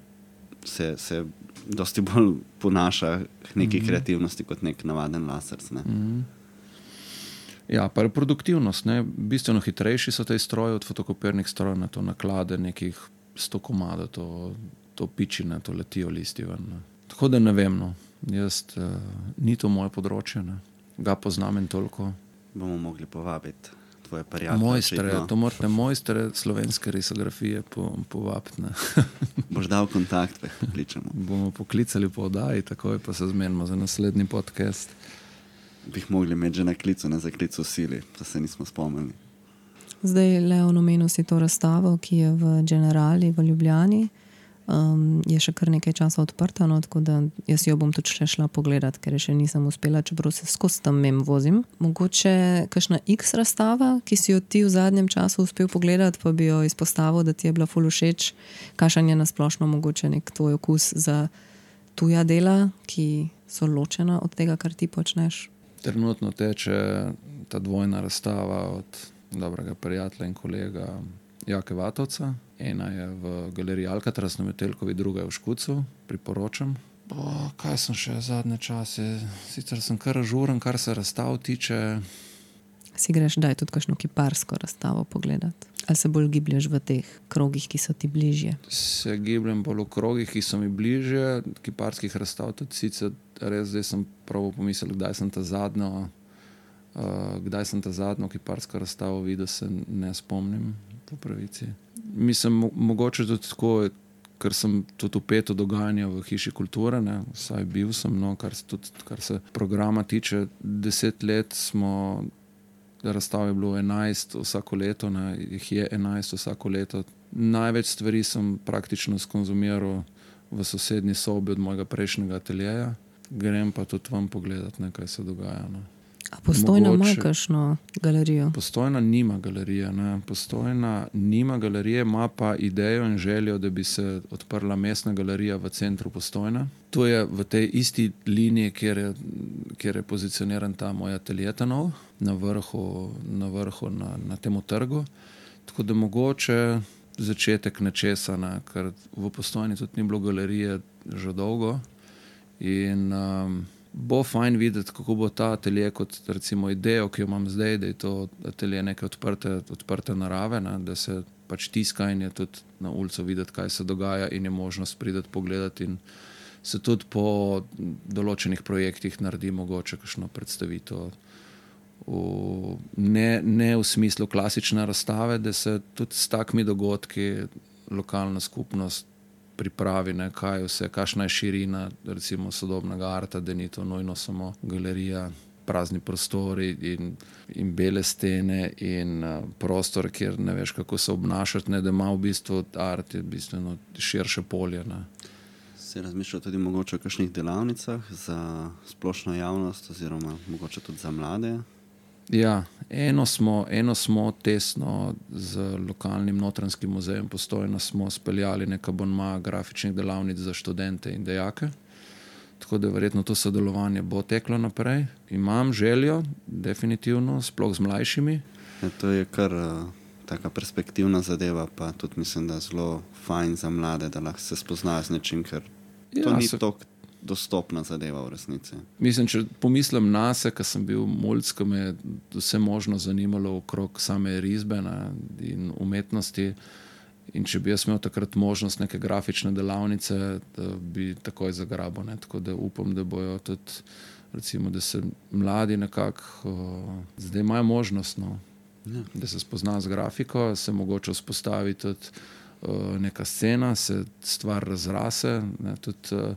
Speaker 3: se, se dosti bolj ponaša k neki mm-hmm. kreativnosti kot nek navaden laserc. Ne.
Speaker 1: Mm-hmm. Ja, pa reproduktivnost, ne, bistveno hitrejši so te stroje od fotokopirnih strojev, na to naklade nekih sto komada, to, to pičine, to letijo listi ven. Ne. Tako da ne vem, no, jaz, uh, ni to moje področje, ne, ga poznam in toliko.
Speaker 3: Bomo mogli povabiti tvoje prijatelje.
Speaker 1: Mojstre, to morate mojstre slovenske risografije po, povabiti.
Speaker 3: Boš dal kontakt, pa jih pokličemo.
Speaker 1: Bomo poklicali po oddaji, takoj pa se zmenimo za naslednji podcast.
Speaker 3: Bi jih mogli imeti že na klicu, ne za klic v sili, da se nismo spomnili.
Speaker 2: Zdaj, Leon, omenil si to razstavo, ki je v Generali v Ljubljani. Um, je še kar nekaj časa odprta, no, tako da jaz jo bom tudi še šla pogledat, ker še nisem uspela, čeprav se skozi tam mem vozim. Mogoče kakšna X razstava, ki si jo ti v zadnjem času uspel pogledati, pa bi jo izpostavil, da ti je bila ful všeč. Kakšen je nasplošno mogoče nek tvoj okus za tuja dela, ki so ločena od tega, kar ti počneš?
Speaker 1: Trenutno teče ta dvojna razstava od dobrega prijatelja in kolega Jake Vatovca. Ena je v galeriji Alcatraz na Metelkovi, druga je v Škucu, priporočam. O, kaj sem še zadnje čase? Sicer sem kar ažuren, kar se razstav tiče.
Speaker 2: Si greš daj tudi kakšno kiparsko razstavo pogledati? Ali se bolj giblješ v teh krogih, ki so ti bližje?
Speaker 1: Se gibljem bolj v krogih, ki so mi bližje. Kiparskih razstav tudi sicer res, zdaj sem prav pomislil, kdaj sem ta zadnjo, uh, kdaj sem ta zadnjo kiparsko razstavo videl, se ne spomnim po pravici. Mislim, mo mogoče tudi tako, ker sem tudi vpet v dogajanje v Hiši kulture, ne, vsaj bil sem, no, kar se, tudi, kar se programa tiče, deset let smo, razstav je bilo enajst vsako leto, ne, jih je enajst vsako leto. Največ stvari sem praktično skonzumiral v sosednji sobi od mojega prejšnjega ateljeja. Grem pa tudi vam pogledat, ne, kaj se dogaja. Ne.
Speaker 2: A Postojna
Speaker 1: Mogoče,
Speaker 2: ima kakšno galerijo?
Speaker 1: Postojna nima galerije, ne. Postojna nima galerije, ima pa idejo in željo, da bi se odprla mestna galerija v centru Postojna. To je v tej isti liniji, kjer je, kjer je pozicioniran ta moj atelje Tanov, na vrhu, na, vrhu na, na temu trgu. Tako da mogoče začetek nečesa, ne, ker v Postojni tudi ni bilo galerije že dolgo in um, bo fajn videti, kako bo ta atelje kot recimo idejo, ki jo imam zdaj, da je to atelje neke odprte, odprte narave, ne, da se pač tiska in je tudi na ulico videti, kaj se dogaja in je možnost prideti pogledati in se tudi po določenih projektih naredi mogoče kakšno predstavitev. V, ne, ne v smislu klasične razstave, da se tudi s takimi dogodki lokalna skupnost pripravi, ne, kaj vse, kakšna je širina recimo sodobnega arta, da ni to nujno samo galerija, prazni prostori in, in bele stene in uh, prostor, kjer ne veš, kako se obnašati, ne, da ima v bistvu art je bistveno širše polje. Ne.
Speaker 3: Se razmišlja tudi mogoče o kakšnih delavnicah za splošno javnost oziroma mogoče tudi za mlade?
Speaker 1: Ja, eno smo, eno smo tesno z lokalnim Notranjskim muzejem Postojna smo speljali nek abonma grafičnih delavnic za študente in dejake. Tako da verjetno to sodelovanje bo teklo naprej. Imam željo, definitivno, sploh z mlajšimi.
Speaker 3: Ja, to je kar uh, taka perspektivna zadeva, pa tudi mislim, da zelo fajn za mlade, da lahko se spoznajo z nečim, ker ja, to ni se... toliko dostopna zadeva v resnici.
Speaker 1: Mislim, če pomislim nase, ker sem bil mulc, ko me je vse možno zanimalo okrog same risbe na, in umetnosti in če bi jaz imel takrat možnost neke grafične delavnice, da bi takoj zagrabil. Ne? Tako da upam, da bojo tudi, recimo, da se mladi nekako zdaj imajo možnost, no, ja. Da se spozna z grafiko, se mogoče vzpostavi tudi uh, neka scena, se stvar razrase, ne? Tudi uh,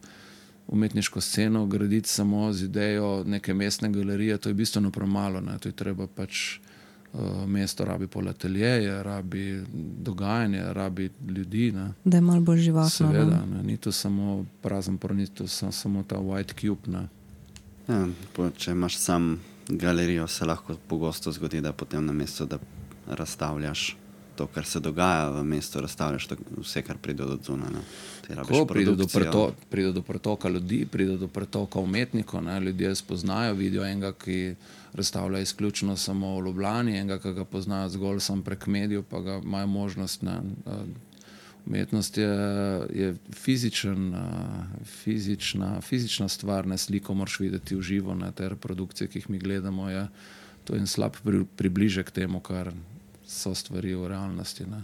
Speaker 1: umetniško sceno graditi samo z idejo neke mestne galerije, to je bistveno premalo, ne? To je treba pač uh, mesto rabi pol ateljeje, rabi dogajanje, rabi ljudi. Ne?
Speaker 2: Da je malo bolj živahno.
Speaker 1: Seveda, ne? Ni to samo prazen por, ni to samo, samo ta white cube. Ne?
Speaker 3: Ja, po, če imaš sam galerijo, se lahko pogosto zgodi, da potem na mesto, da razstavljaš to, kar se dogaja v mestu, razstavljaš to, vse, kar pride do zunaj.
Speaker 1: Ko pride do, preto, pride do pretoka ljudi, pride do pretoka umetnikov, ne? Ljudje spoznajo, vidijo enega, ki razstavlja izključno samo v Ljubljani, enega, ki ga poznajo zgolj sam prek medijev, pa ga imajo možnost. Ne? Umetnost je, je fizičen, fizična, fizična stvar, ne, sliko moraš videti v živo, ne? Te reprodukcije, ki jih mi gledamo, je to en slab pri, približek temu, kar so stvari v realnosti. Ne.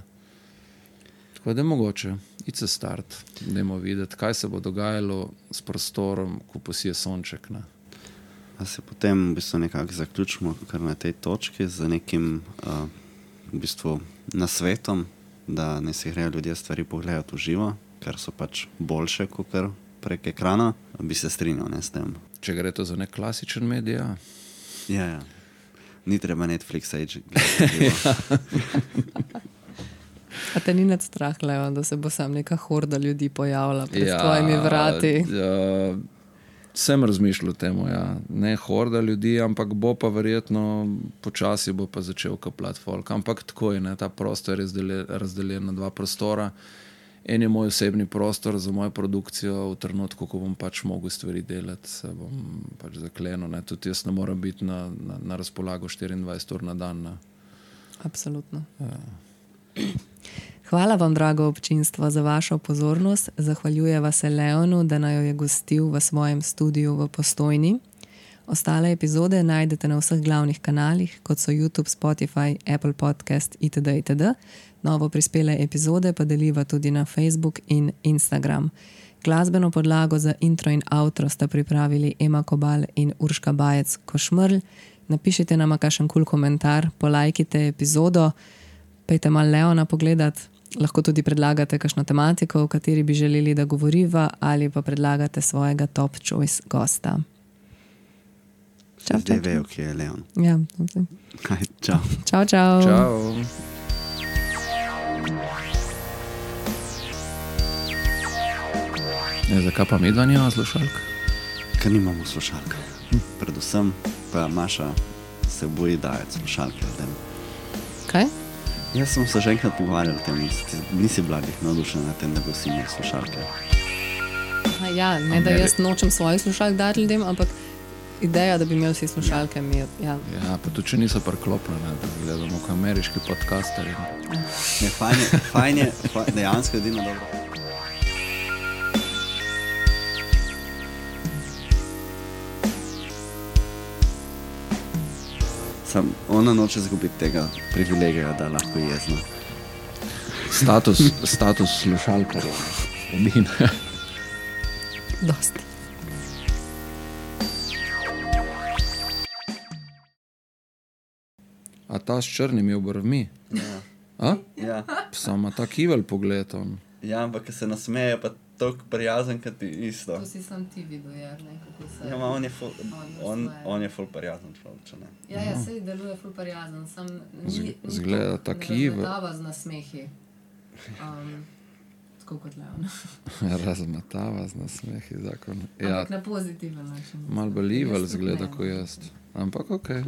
Speaker 1: Tako da je mogoče, it's a start, dajmo videti, kaj se bo dogajalo s prostorom, ko posije sonček. Ne.
Speaker 3: A se potem v bistvu nekako zaključimo kar na tej točki z nekim uh, v bistvu nasvetom, da ne si grejo ljudje stvari pogledati v živo, ker so pač boljše kot kar prek ekrana, bi se strinjal, ne, s tem.
Speaker 1: Če gre to za nek klasičen medij, ja.
Speaker 3: Ja, ja. Ni treba Netflixa ići.
Speaker 2: A te ni nad strah, Leon, da se bo sam neka horda ljudi pojavila pred ja, tvojimi vrati?
Speaker 1: Ja, sem razmišljal o temu, ja. Ne horda ljudi, ampak bo pa verjetno počasi bo pa začel kapljati folk. Ampak tako je, ne, ta prostor je razdeljen na dva prostora. En je moj osebni prostor za mojo produkcijo v trenutku, ko bom pač mogel stvari delati, se bom pač zaklenil. Ne. Tudi jaz ne moram biti na, na, na razpolago štiriindvajset ur na dan. Ne.
Speaker 2: Absolutno.
Speaker 1: Ja.
Speaker 2: Hvala vam, drago občinstvo, za vašo pozornost. Zahvaljujeva se Leonu, da naj jo je gostil v svojem studiu v Postojni. Ostale epizode najdete na vseh glavnih kanalih, kot so YouTube, Spotify, Apple Podcast itd. itd. Novo prispele epizode pa deliva tudi na Facebook in Instagram. Glasbeno podlago za intro in outro sta pripravili Ema Kobal in Urška Bajec-Košmrl. Napišite nama kakšen kul komentar, polajkite epizodo, pejte malo Leona pogledat, lahko tudi predlagate kakšno tematiko, o kateri bi želeli, da govoriva, ali pa predlagate svojega top choice gosta. Čau,
Speaker 3: zdaj vejo, kje je Leon.
Speaker 2: Ja,
Speaker 3: Kaj, čau.
Speaker 2: Čau, čau.
Speaker 1: Čau. Ne, zakaj pa medva nima slušalk?
Speaker 3: Ker nimamo slušalk. Predvsem pa Maša se boji dajati slušalke.
Speaker 2: Kaj?
Speaker 3: Jaz sem se že enkrat pogovarjal o tem, nisi, nisi bladih navdušen na tem, da bo vsi imeli slušalke.
Speaker 2: Ja, ne da jaz nočem svojih slušalk dati ljudem, ampak ideja, da bi imeli vsi slušalke, mi je, ja.
Speaker 1: Ja, pa tudi če niso priklopljene, da gledamo kot ameriški podcasterji.
Speaker 3: Ne, fajn je, fajn je, fajn, dejansko je edino dobro. Sam, ona noče zgubiti tega privilegija, da lahko jezna.
Speaker 1: Status, status slušalkarja. Edine.
Speaker 2: Dosti.
Speaker 1: A ta s črnimi obrvmi?
Speaker 3: Ja.
Speaker 1: A?
Speaker 3: Ja.
Speaker 1: Samo ta kivel pogled on.
Speaker 3: Ja, ampak ko se nasmeje, pa toliko prijazen, kot ti isto.
Speaker 2: To si sam ti videl, Jarne, kako se...
Speaker 3: Ja, ma on je ful, on,
Speaker 2: nasmeje.
Speaker 3: on je ful prijazen človek, če ne.
Speaker 2: Ja, ja, sej deluje ful prijazen, sam ni,
Speaker 1: Z-
Speaker 2: ni
Speaker 1: zgleda
Speaker 2: to,
Speaker 1: tak
Speaker 2: ne
Speaker 1: Ivo.
Speaker 2: razmetava z nasmehi. Um, tako kot Leon.
Speaker 1: Razmetava z nasmehi zakon. Ja,
Speaker 2: Ampak na pozitiven način.
Speaker 1: malo bolj evil
Speaker 2: Jaz tudi
Speaker 1: zgleda
Speaker 2: ne.
Speaker 1: kot jaz. Ampak okej. Okay.